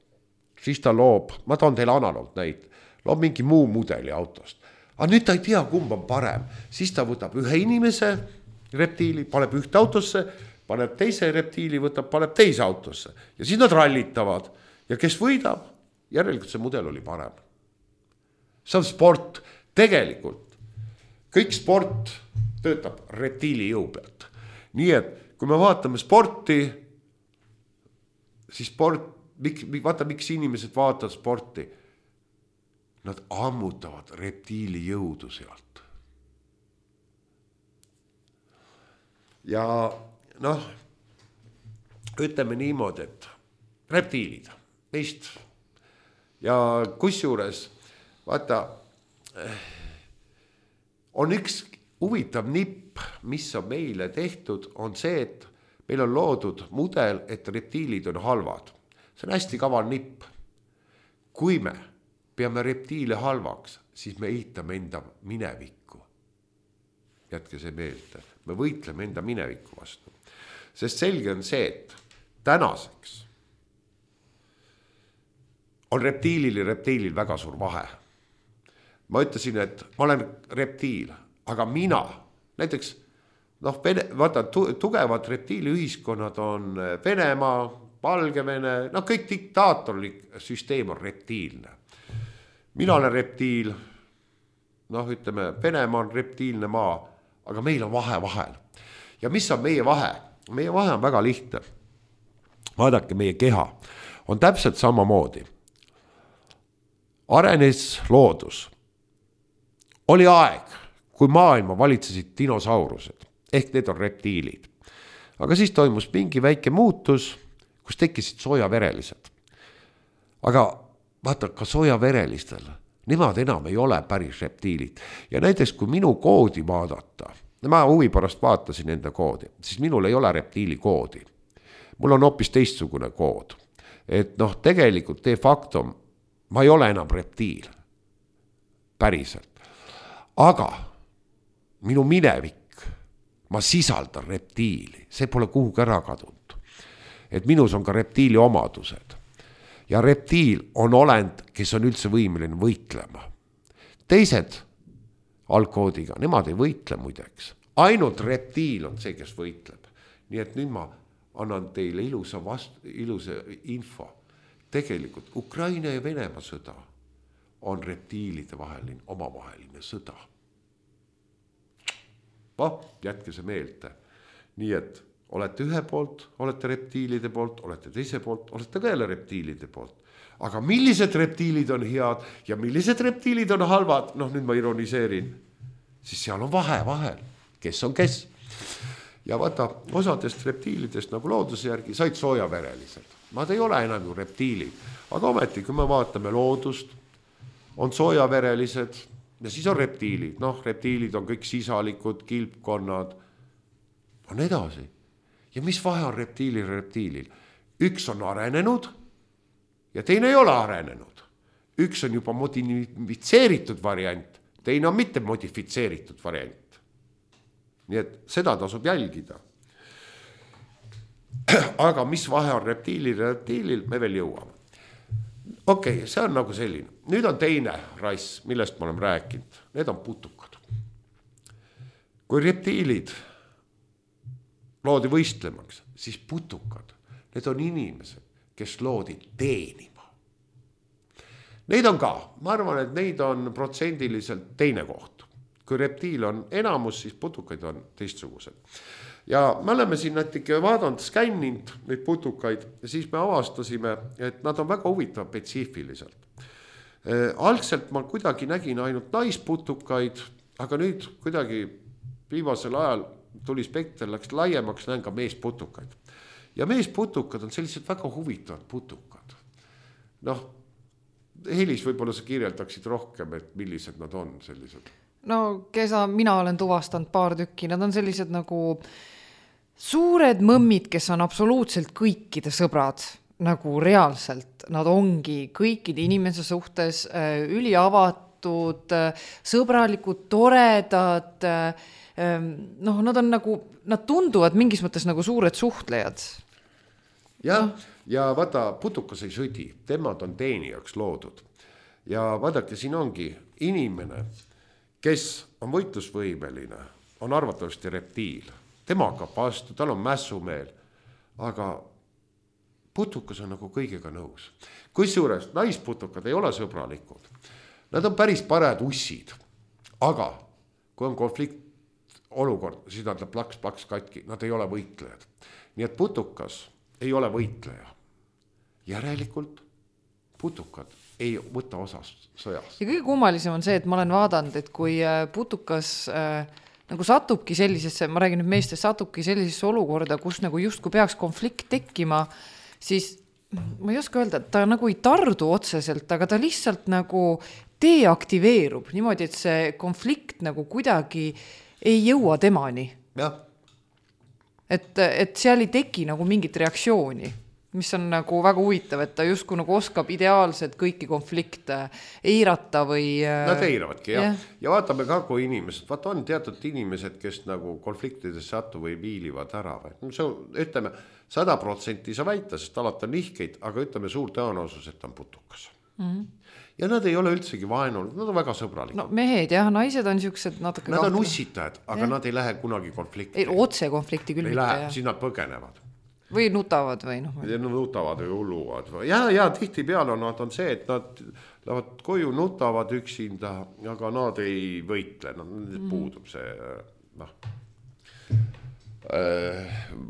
Siis ta loob, ma toon teile analoog näit, loob mingi muu mudeli autost. Aga nüüd ta ei tea, kumb on parem. Siis ta võtab ühe inimese reptiili, paneb ühte autosse, paneb teise reptiili, paneb teise autosse. Ja siis nad rallitavad. Ja kes võidab, järelikult see mudel oli parem. See on sport. Tegelikult kõik sport töötab reptiili jõu pealt. Nii et kui me vaatame sporti, siis vaata, miks inimesed vaatavad sporti. Nad ammutavad reptiili jõudu sealt. Ja ütleme niimoodi, et reptiilid meist ja kusjuures vaata, on üks huvitav nipp, mis on meile tehtud, on see, et meil on loodud mudel, et reptiilid on halvad. See on hästi kaval nipp. Kui me peame reptiile halvaks, siis me ehitame enda minevikku. Jätke see meelde. Me võitleme enda minevikku vastu. Sest selge on see, et tänaseks on reptiilil väga suur vahe. Ma ütlesin, et ma olen reptiil, aga mina, näiteks, vaata, tugevad reptiiliühiskonnad on Venemaa, Valgevene, kõik diktaatorlik süsteem on reptiilne. mina olen reptiil, noh, ütleme, Venemaa on reptiilne maa, aga meil on vahe vahel. Ja mis on meie vahe? Meie vahe on väga lihtne. Vaadake, meie keha on täpselt samamoodi. Arenes loodus. Oli aeg, kui maailma valitsesid dinosaurused, ehk need on reptiilid. Aga siis toimus mingi väike muutus, kus tekkisid soojaverelised. Aga vaata, ka soojaverelistel, nemad enam ei ole päris reptiilid. Ja näiteks, kui minu koodi vaadata, ma huvi pärast vaatasin enda koodi, siis minul ei ole reptiili koodi. Mul on hoopis teistsugune kood. Et noh, tegelikult de facto ma ei ole enam reptiil. Päriselt. Aga minu minevik, ma sisaldan reptiili. See pole kuhugi ära kadunud. Et minus on ka reptiili omadused. Ja reptiil on olend, kes on üldse võimeline võitlema. Teised algkoodiga, nemad ei võitle muideks. Ainult reptiil on see, kes võitleb. Nii et nüüd ma annan teile ilusa info. Tegelikult Ukraina ja Venemaa sõda on reptiilide vaheline, omavaheline sõda. Jätke see meelde. Nii et olete ühe poolt, olete reptiilide poolt, olete teise poolt, olete ka jälle reptiilide poolt. Aga millised reptiilid on head ja millised reptiilid on halvad, noh nüüd ma ironiseerin, siis seal on vahe vahel, kes on kes. Ja vaata, osadest reptiilidest nagu looduse järgi said soojaverelised. Nad ei ole enam ju reptiilid, aga ometi, kui me vaatame loodust, on soojaverelised ja siis on reptiilid. Noh, reptiilid on kõik sisalikud, kilpkonnad, on edasi. Ja mis vahe on reptiilil ja reptiilil? Üks on arenenud ja teine ei ole arenenud. Üks on juba modifitseeritud variant, teine on mitte modifitseeritud variant. Nii et seda tasub jälgida. Aga mis vahe on reptiilil ja reptiilil, me veel jõuame. Okei, see on nagu selline. Nüüd on teine rass, millest ma olen rääkinud. Need on putukad. Kui reptiilid loodi võistlemaks, siis putukad, need on inimesed, kes loodi teenima. Neid on ka, ma arvan, et neid on protsendiliselt teine koht. Kui reptiil on enamus, siis putukaid on teistsugused. Ja me oleme siin natuke vaadanud, skänninud neid putukaid ja siis me avastasime, et nad on väga huvitav spetsiifiliselt. Algselt ma kuidagi nägin ainult naisputukaid, aga nüüd kuidagi viimasel ajal tuli spekter, läks laiemaks, näen ka meesputukaid. Ja meesputukad on sellised väga huvitavad putukad. Noh, Helis võib-olla sa kirjeldaksid rohkem, et millised nad on sellised. No, mina olen tuvastanud paar tükki, nad on sellised nagu suured mõmmid, kes on absoluutselt kõikide sõbrad, nagu reaalselt. Nad ongi kõikide inimese suhtes üliavatud, sõbralikud, toredad, noh, nad on nagu, nad tunduvad mingis mõttes nagu suured suhtlejad. Ja vaata, putukas ei sõdi, temad on teenijaks loodud. Ja vaadake, siin ongi inimene, kes on võitlusvõimeline, on arvatavasti reptiil. Tema hakkab vastu, tal on mässumeel, aga putukas on nagu kõigega nõus. Kusjuures naisputukad ei ole sõbralikud. Nad on päris parajad ussid, aga kui on konflikt olukord, siis nad plaks katki, nad ei ole võitlejad. Nii et putukas ei ole võitleja. Järelikult putukad ei võta osas sõjas. Ja kõige kummalisem on see, et ma olen vaadanud, et kui putukas nagu satubki sellisesse, ma räägin nüüd meestest, satubki sellisesse olukorda, kus nagu just kui peaks konflikt tekkima, siis ma ei oska öelda, et ta nagu ei tardu otseselt, aga ta lihtsalt nagu deaktiveerub niimoodi, et see konflikt nagu kuidagi ei jõua temani. Jah. Et seal ei teki nagu mingit reaktsiooni, mis on nagu väga huvitav, et ta justkui nagu oskab ideaalselt kõiki konflikte eirata või... Nad eiravadki, jah. Ja vaatame ka, kui inimesed, vaata on teatud inimesed, kes nagu konfliktides satu või viilivad ära. See on, ütleme, 100% sa väita, sest alati on nihkeid, aga ütleme suur tõenäosus, et on putukas. Ja nad ei ole üldsegi vaenunud, nad on väga sõbralikud. No mehed, jah, naised on siuksed natuke... Nad on ussitajad, aga nad ei lähe kunagi konflikti. Otse konflikti küll mitte, jah. Siis nad põgenevad. Või nutavad või noh. Nutavad või hulluvad. Ja tihti peale nad on see, et lähevad koju, nutavad üksinda, aga nad ei võitle, puudub see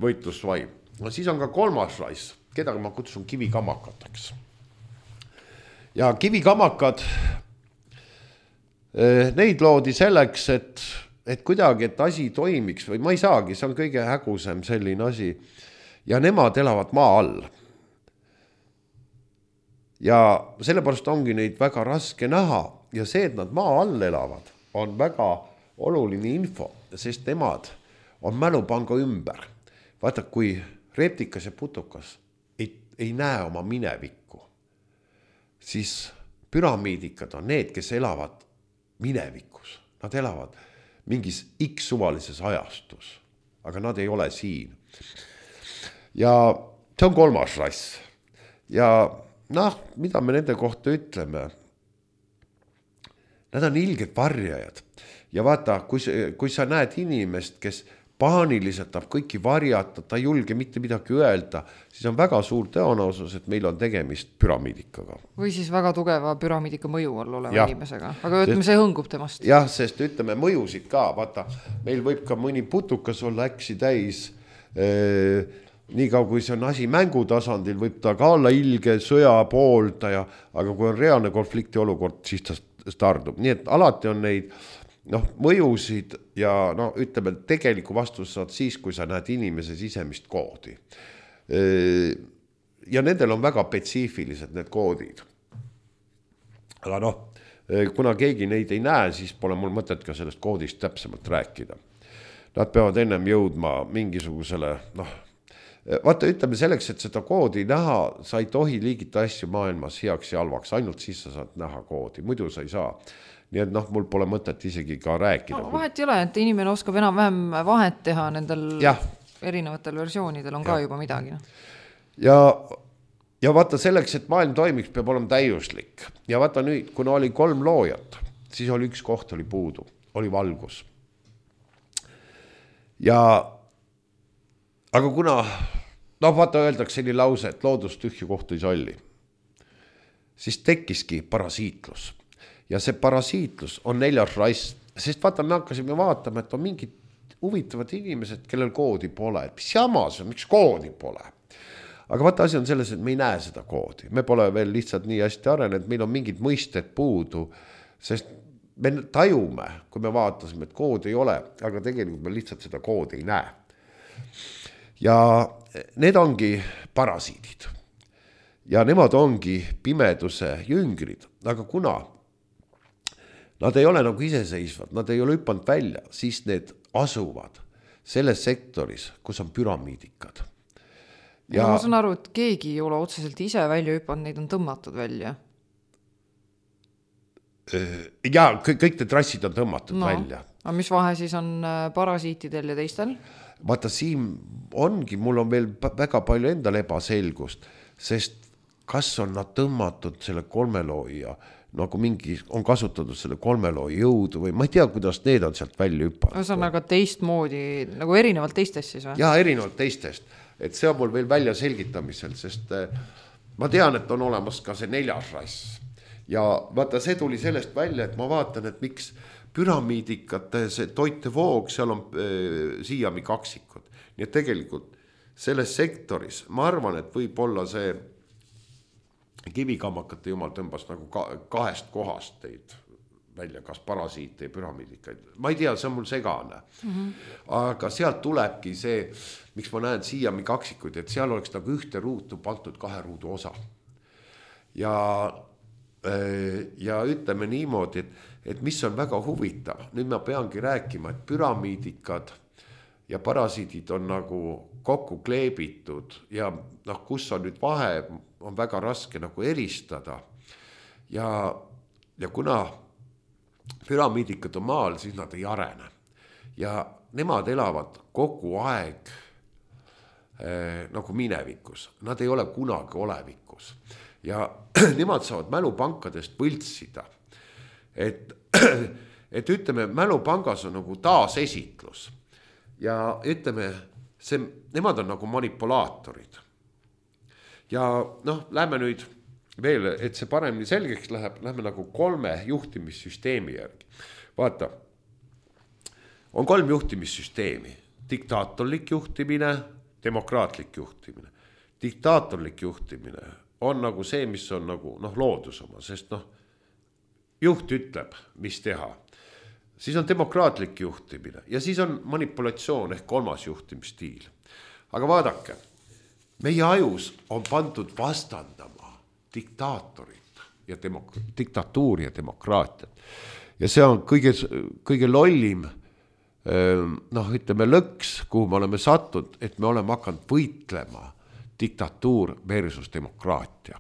võitlusvaim. Siis on ka kolmas rais, keda ma kutsun kivikamakateks. Ja kivikamakad, neid loodi selleks, et kuidagi, et asi toimiks või ma ei saagi, see on kõige hägusem selline asi. Ja nemad elavad maa all. Ja sellepärast ongi neid väga raske näha ja see, et nad maa all elavad, on väga oluline info, sest nemad on mälupanga ümber. Vaata, kui reptikas ja putukas ei näe oma minevikku, siis püramiidikad on need, kes elavad minevikus. Nad elavad mingis X suvalises ajastus, aga nad ei ole siin. Ja see on kolmas rass. Ja mida me nende kohta ütleme? Nad on ilged varjajad. Ja vaata, kui sa näed inimest, kes paaniliselt tahab kõiki varjata, ta ei julge mitte midagi öelda, siis on väga suur tõenäosus, et meil on tegemist püramiidikaga. Või siis väga tugeva püramiidika mõju all oleva inimesega. Aga ütleme, see hõngub temast. Jah, sest ütleme mõjusid ka. Vaata, meil võib ka mõni putukas olla äksi täis. Nii kaua, kui see on asi mängutasandil, võib ta ka olla ilge sõja pooldaja, aga kui on reaalne konflikti olukord, siis ta stardub. Nii et alati on neid mõjusid ja ütleme, tegeliku vastus saad siis, kui sa näed inimese sisemist koodi. Ja nendel on väga spetsiifilised need koodid. Aga kuna keegi neid ei näe, siis pole mul mõtet ka sellest koodist täpsemalt rääkida. Nad peavad ennem jõudma mingisugusele, vaata, ütleme selleks, et seda koodi näha, sa ei tohi liigita asju maailmas heaks ja halvaks, ainult siis sa saad näha koodi, muidu sa ei saa. Nii et mul pole mõtet isegi ka rääkida. Vahet ei ole, et inimene oskab enam-vähem vahet teha nendel erinevatel versioonidel on ka juba midagi. Ja vaata selleks, et maailm toimiks, peab olema täiuslik. Ja vaata nüüd, kuna oli 3 loojat, siis oli üks koht oli puudu, oli valgus. Aga kuna, vaata öeldakse selline lause, et loodus tühju kohtu ei salli, siis tekkiski parasiitlus. Ja see parasiitlus on 4. rass, sest vaata, me hakkasime vaatama, et on mingid huvitavad inimesed, kellel koodi pole. Mis jamas on, miks koodi pole? Aga vaata, asi on selles, et me ei näe seda koodi. Me pole veel lihtsalt nii hästi arenenud, meil on mingid mõisted puudu, sest me tajume, kui me vaatasime, et koodi ei ole, aga tegelikult me lihtsalt seda koodi ei näe. Ja need ongi parasiidid. Ja nemad ongi pimeduse jüngrid, aga kuna nad ei ole nagu iseseisvad, nad ei ole hüppanud välja, siis need asuvad selles sektoris, kus on püramiidikad. Ja ma saan aru, et keegi ei ole otseselt ise välja hüppanud, neid on tõmmatud välja. Ja kõik need trassid on tõmmatud välja. Aga mis vahe siis on parasiitidel ja teistel? Vaata, siin ongi, mul on veel väga palju endal ebaselgust, sest kas on nad tõmmatud selle 3 looja, nagu mingi on kasutatud selle 3 looja jõudu või ma ei tea, kuidas need on sealt välja hüppanud. See on aga teistmoodi, nagu erinevalt teistest siis või? Jaa, erinevalt teistest. Et see on mul veel välja selgitamisel, sest ma tean, et on olemas ka see 4. rass. Ja vaata, see tuli sellest välja, et ma vaatan, et miks püramiidikate see toitevoog, seal on siiami kaksikud. Nii et tegelikult selles sektoris, ma arvan, et võib olla see kivikamakate jumal tõmbas nagu 2 kohast teid välja, kas parasiite ja püramiidikaid. Ma ei tea, see on mul segane. Aga sealt tulebki see, miks ma näen siiami kaksikud, et seal oleks nagu 1 ruutu pandud 2 ruudu osa. Ja ütleme niimoodi, et mis on väga huvitav, nüüd ma peangi rääkima, et püramiidikad ja parasiidid on nagu kokku kleebitud ja kus on nüüd vahe, on väga raske nagu eristada. Ja kuna püramiidikad on maal, siis nad ei arene. Ja nemad elavad kogu aeg nagu minevikus, nad ei ole kunagi olevikus. Ja nemad saavad mälupankadest võltsida. Et ütleme, mälupangas on nagu taasesitlus. Ja ütleme, nemad on nagu manipulaatorid. Ja lähme nüüd veel, et see paremini selgeks läheb, lähme nagu 3 juhtimissüsteemi järgi. Vaata, on 3 juhtimissüsteemi. Diktaatorlik juhtimine, demokraatlik juhtimine. Diktaatorlik juhtimine on nagu see, mis on nagu loodus oma, sest juht ütleb, mis teha. Siis on demokraatlik juhtimine ja siis on manipulatsioon ehk 3. juhtimisstiil. Aga vaadake, meie ajus on pandud vastandama diktaatorit ja diktatuuri ja demokraatiat. Ja see on kõige lollim ütleme lõks, kuhu me oleme sattud, et me oleme hakanud võitlema diktatuur versus demokraatia.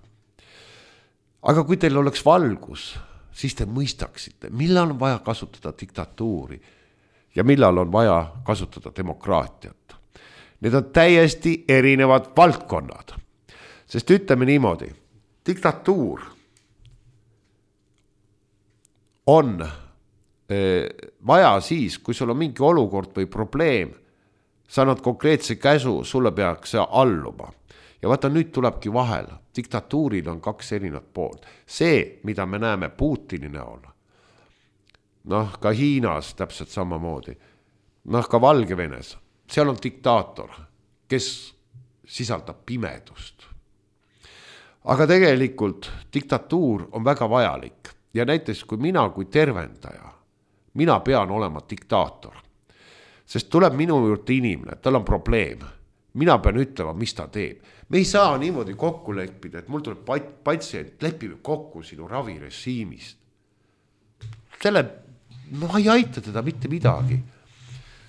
Aga kui teil oleks valgus, siis te mõistaksite, millal on vaja kasutada diktatuuri ja millal on vaja kasutada demokraatiat. Need on täiesti erinevad valdkonnad. Sest ütleme niimoodi, diktatuur on vaja siis, kui sul on mingi olukord või probleem, sa annad konkreetse käsu, sulle peaks alluma. Ja vaata, nüüd tulebki vahel. Diktatuuril on 2 erinevat poolt. See, mida me näeme Putini näol, ka Hiinas täpselt samamoodi, ka Valgevenes, seal on diktaator, kes sisaldab pimedust. Aga tegelikult diktatuur on väga vajalik. Ja näiteks, kui mina kui tervendaja, mina pean olema diktaator. Sest tuleb minu juurde inimene, tal on probleem. Mina pean ütlema, mis ta teeb. Me ei saa niimoodi kokku leppida, et mul tuleb patsient, lepime kokku sinu ravirežiimist. Ma ei aita teda mitte midagi.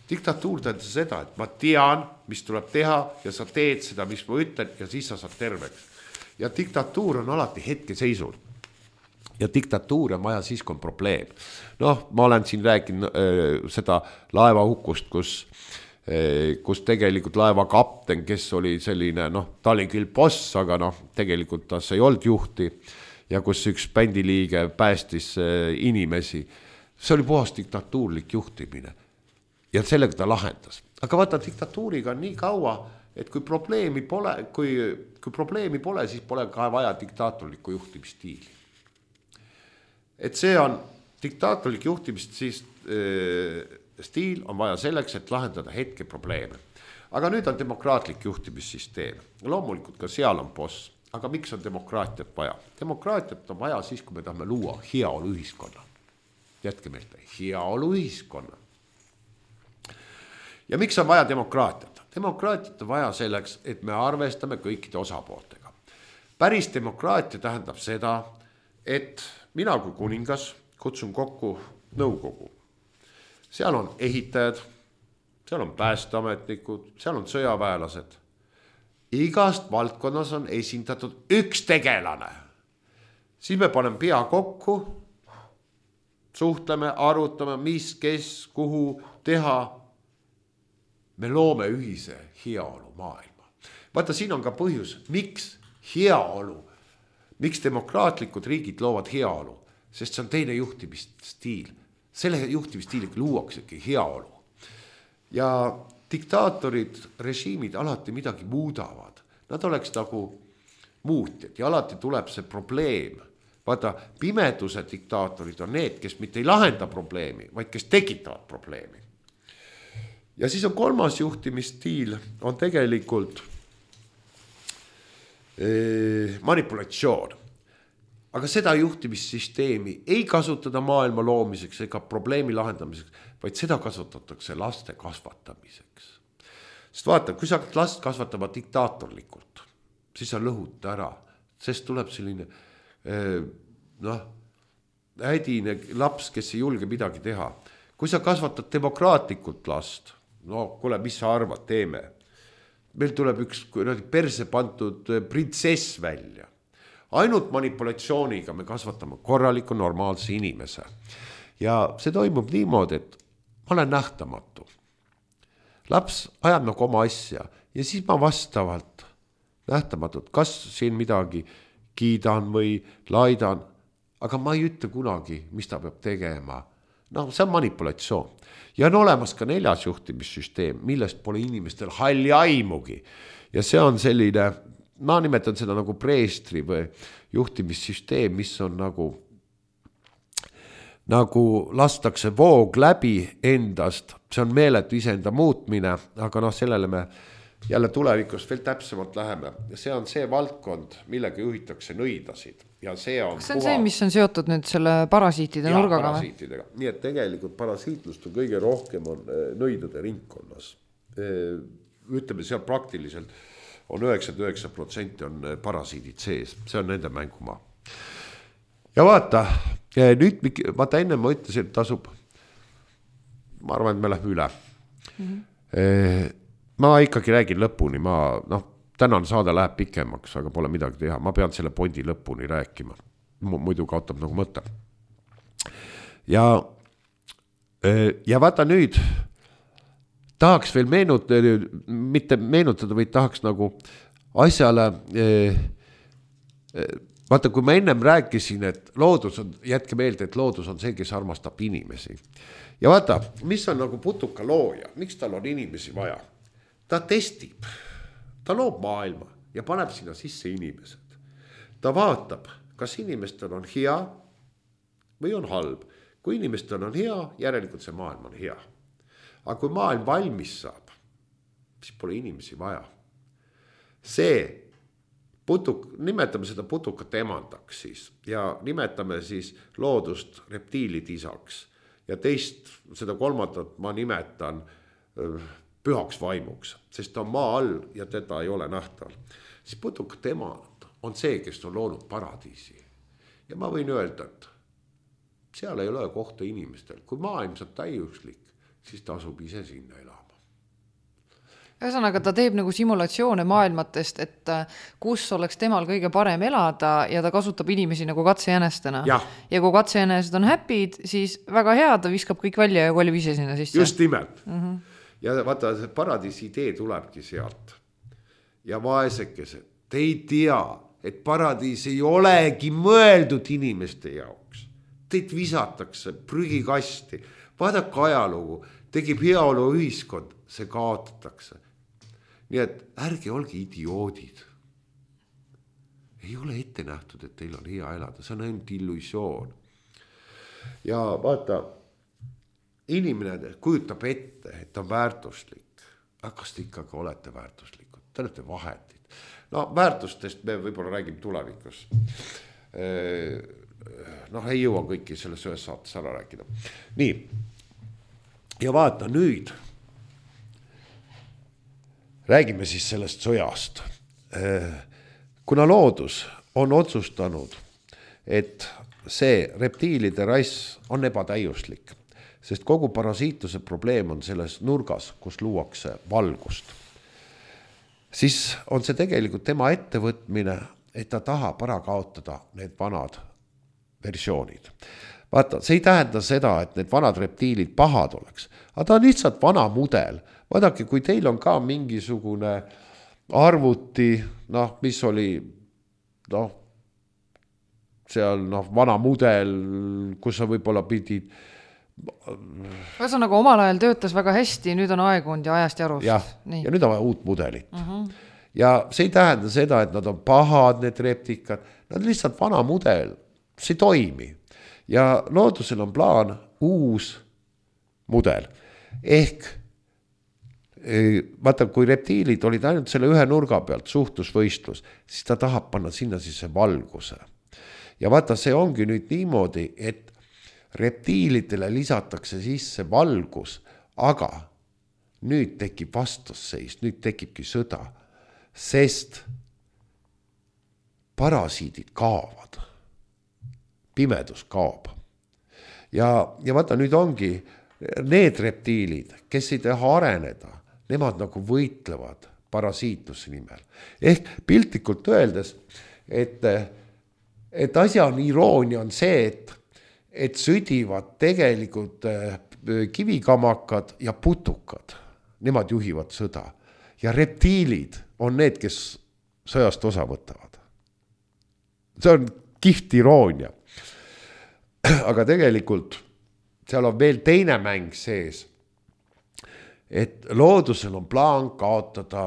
Diktatuur tähendab seda, et ma tean, mis tuleb teha ja sa teed seda, mis ma ütlen ja siis sa saad terveks. Ja diktatuur on alati hetkeseisul. Ja diktatuur on vaja siis, kui on probleem. Ma olen siin rääkinud seda laevahukust, kus tegelikult laeva kapten, kes oli selline, ta oli küll boss, aga tegelikult tas ei olnud juhti ja kus üks bändiliige päästis inimesi. See oli puhas diktatuurlik juhtimine ja sellega ta lahendas. Aga vaata, diktatuuriga on nii kaua, et kui probleemi pole, siis pole ka vaja diktaatorlikku juhtimisstiili. Et see on diktaatorlik juhtimisstiil on vaja selleks, et lahendada hetke probleeme. Aga nüüd on demokraatlik juhtimissüsteem. Loomulikult ka seal on boss. Aga miks on demokraatiat vaja? Demokraatiat on vaja siis, kui me tahame luua heaolu ühiskonna. Jätke meelde, heaolu ühiskonna. Ja miks on vaja demokraatiat? Demokraatiat on vaja selleks, et me arvestame kõikide osapooltega. Päris demokraatia tähendab seda, et mina kui kuningas kutsun kokku nõukogu. Seal on ehitajad, seal on päästeametnikud, seal on sõjaväelased. Igast valdkonnas on esindatud üks tegelane. Siis me paneme pea kokku, suhtleme, arutame, mis, kes, kuhu teha. Me loome ühise heaolu maailma. Vaata, siin on ka põhjus, miks heaolu, miks demokraatlikud riigid loovad heaolu, sest see on teine juhtimisstiil. Selle juhtimisstiiliga luuaksegi heaolu. Ja diktaatorid, režiimid alati midagi muudavad. Nad oleks nagu muutjad ja alati tuleb see probleem. Vaata, pimeduse diktaatorid on need, kes mitte ei lahenda probleemi, vaid kes tekitavad probleemi. Ja siis on kolmas juhtimisstiil, on tegelikult manipulatsioon. Aga seda juhtimissüsteemi ei kasutada maailma loomiseks ega probleemi lahendamiseks, vaid seda kasutatakse laste kasvatamiseks. Sest vaata, kui sa last kasvatama diktaatorlikult, siis sa lõhud ära, sest tuleb selline hädine laps, kes ei julge midagi teha. Kui sa kasvatad demokraatlikult last, kuule, mis sa arvad, teeme. Meil tuleb üks perse pandud printsess välja. Ainult manipulatsiooniga me kasvatame korraliku normaalse inimese. Ja see toimub niimoodi, et ma olen nähtamatu. Laps ajab nagu oma asja ja siis ma vastavalt nähtamatult, kas siin midagi kiidan või laidan, aga ma ei ütle kunagi, mis ta peab tegema. See on manipulatsioon. Ja on olemas ka 4. juhtimissüsteem, millest pole inimestel halli aimugi. Ja see on selline ma nimetan seda nagu preestri või juhtimissüsteem, mis on nagu lastakse voog läbi endast, see on meeletu iseenda muutmine, aga sellele me jälle tulevikus veel täpsemalt läheme. See on see valdkond, millega juhitakse nõidasid. Ja see on see on see, mis on seotud nüüd selle parasiitide nurgaga? Parasiitidega. Nii et tegelikult parasiitlust on kõige rohkem on nõidade ringkonnas. Ütleme, seal praktiliselt on 99% on parasiidid sees. See on nende mängumaa. Ja vaata, enne ma ütlesin, et tasub, ma arvan, et me läheme üle. Ma ikkagi räägin lõpuni, tänane saade läheb pikemaks, aga pole midagi teha. Ma pean selle pointi lõpuni rääkima. Muidu kaotab nagu mõte. Ja vaata nüüd, tahaks veel mitte meenutada, vaid tahaks nagu asjale, vaata, kui ma ennem rääkisin, et loodus on, jätke meelde, et loodus on see, kes armastab inimesi. Ja vaata, mis on nagu putuka looja, miks tal on inimesi vaja? Ta testib, ta loob maailma ja paneb sinna sisse inimesed. Ta vaatab, kas inimestel on hea või on halb. Kui inimestel on hea, järelikult see maailm on hea. Aga kui maailm valmis saab, siis pole inimesi vaja. See nimetame seda putukat emandaks siis ja nimetame siis loodust reptiilid isaks. Ja teist, seda kolmandat ma nimetan pühaks vaimuks, sest ta on maa all ja teda ei ole nähtaval. Siis putukat emand on see, kes on loonud paradiisi. Ja ma võin öelda, et seal ei ole kohta inimestel. Kui maailm saab täiuslik, siis ta asub ise sinna elama. Ühesõnaga, ta teeb nagu simulatsioone maailmatest, et kus oleks temal kõige parem elada ja ta kasutab inimesi nagu katsejänestena. Ja kui katsejänesed on happy'd, siis väga hea, ta viskab kõik välja ja kolib ise sinna sisse. Just nimelt. Ja vaata, see paradiisi idee tulebki sealt. Ja vaesekesed, te ei tea, et paradiis ei olegi mõeldud inimeste jaoks. Teid visatakse prügikasti. Vaadake ajalugu, tegib heaolu ühiskond, see kaotatakse. Nii et ärge olge idioodid. Ei ole ette nähtud, et teil on hea elada, see on ainult illusioon. Ja vaata, inimene kujutab ette, et on väärtuslik. Aga kas te ikkagi olete väärtuslikud? Te olete vahetid. Väärtustest me võib-olla räägime tulevikus. Ei jõua kõiki selles ühes saates ära rääkida. Nii, ja vaata nüüd, räägime siis sellest sõjast. Kuna loodus on otsustanud, et see reptiilide rass on ebatäiuslik, sest kogu parasiitluse probleem on selles nurgas, kus luuakse valgust, siis on see tegelikult tema ettevõtmine, et ta tahab ära kaotada need vanad versioonid. Vaata, see ei tähenda seda, et need vanad reptiilid pahad oleks, aga ta on lihtsalt vana mudel. Vaadake, kui teil on ka mingisugune arvuti, mis oli, seal vana mudel, kus sa võib-olla pidid. Ühesõnaga, omal ajal töötas väga hästi, nüüd on aegunud ja ajast jarust. Ja nüüd on vaja uut mudelit. Ja see ei tähenda seda, et nad on pahad, need reptikad, nad on lihtsalt vana mudel, see toimi. Ja loodusel on plaan uus mudel. Ehk, vaata, kui reptiilid olid ainult selle ühe nurga pealt, suhtlusvõistlus, siis ta tahab panna sinna sisse valguse. Ja vaata, see ongi nüüd niimoodi, et reptiilidele lisatakse sisse valgus, aga nüüd tekib vastasseis, nüüd tekibki sõda, sest parasiidid kaovad. Pimedus kaob. Ja vaata, nüüd ongi need reptiilid, kes ei taha areneda, nemad nagu võitlevad parasiitluse nimel. Ehk piltlikult öeldes, et asja on iroonia on see, et sõdivad tegelikult kivikamakad ja putukad. Nemad juhivad sõda. Ja reptiilid on need, kes sõjast osa võtavad. See on kihvt iroonia. Aga tegelikult seal on veel teine mäng sees, et loodusel on plaan kaotada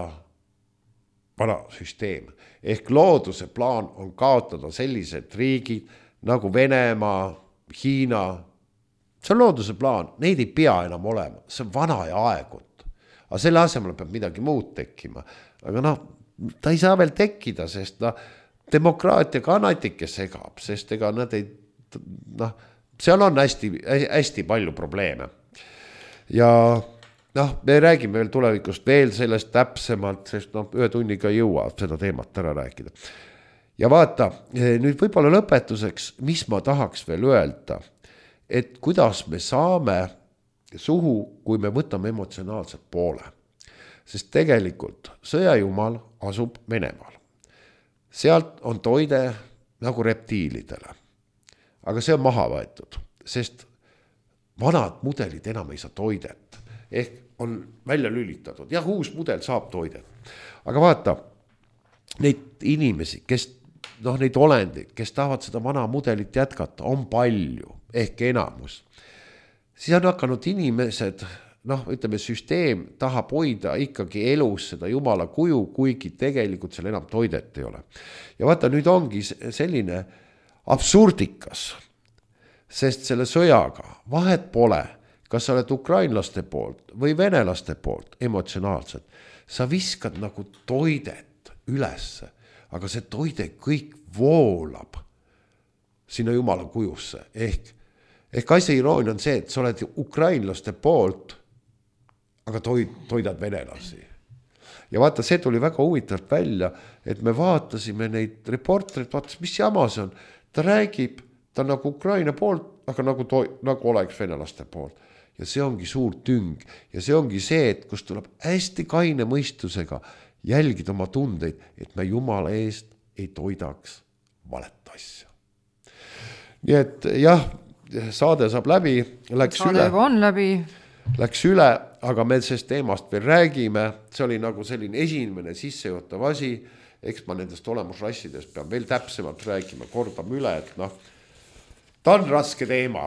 vana süsteem. Ehk looduse plaan on kaotada sellised riigid nagu Venemaa, Hiina. See on looduse plaan, neid ei pea enam olema, see on vana ja aegut. Aga selle asemel peab midagi muud tekkima. Aga ta ei saa veel tekkida, sest demokraatia ka natike segab, sest ega nad ei, seal on hästi palju probleeme. Ja me räägime veel tulevikust veel sellest täpsemalt, sest ühe tunniga ei jõua seda teemat ära rääkida. Ja vaata, nüüd võib-olla lõpetuseks, mis ma tahaks veel öelda, et kuidas me saame suhu, kui me võtame emotsionaalset poole. Sest tegelikult sõjajumal asub Venemaal. Sealt on toide nagu reptiilidele. Aga see on maha võetud, sest vanad mudelid enam ei saa toidet. Ehk on välja lülitatud. Jah, uus mudel saab toidet. Aga vaata, neid inimesi, kes, neid olendid, kes tahavad seda vana mudelit jätkata, on palju, ehk enamus. Siis on hakanud inimesed, ütleme, süsteem tahab hoida ikkagi elus seda jumala kuju, kuigi tegelikult seal enam toidet ei ole. Ja vaata, nüüd ongi selline absurdikas, sest selle sõjaga vahet pole, kas sa oled ukrainlaste poolt või venelaste poolt emotsionaalselt. Sa viskad nagu toidet ülesse, aga see toide kõik voolab sinna jumala kujusse. Ehk asja iroonia on see, et sa oled ukrainlaste poolt, aga toidad venelasi. Ja vaata, see tuli väga huvitavalt välja, et me vaatasime neid reporterid, vaatas, mis jama see on. Ta räägib, ta nagu Ukraina poolt, aga nagu oleks venelaste poolt. Ja see ongi suur tüng. Ja see ongi see, et kus tuleb hästi kaine mõistusega jälgida oma tundeid, et me jumala eest ei toidaks valet asja. Nii et jah, saade saab läbi, saade on läbi. Läks üle, aga me sellest teemast veel räägime. See oli nagu selline esimene sissejuhatav asi. Eks ma nendest olemusrassidest pean veel täpsemalt räägima, kordame üle, et ta on raske teema.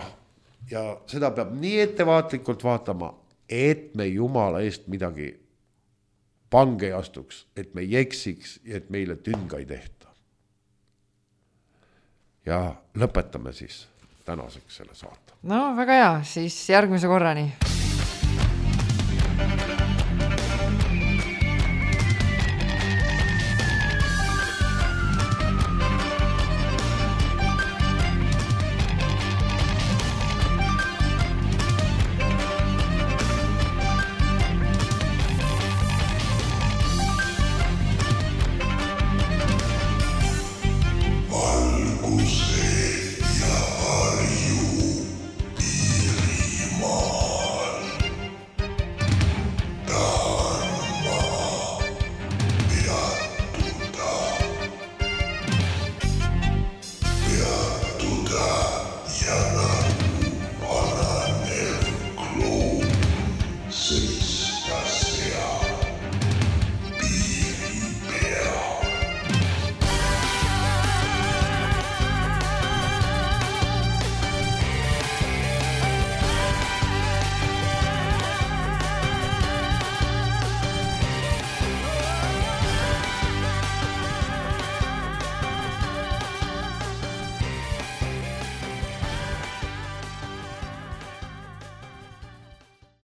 Ja seda peab nii ettevaatlikult vaatama, et me jumala eest midagi pange ei astuks, et me ei eksiks ja et meile tünga ei tehta. Ja lõpetame siis tänaseks selle saate. Väga hea, siis järgmise korrani.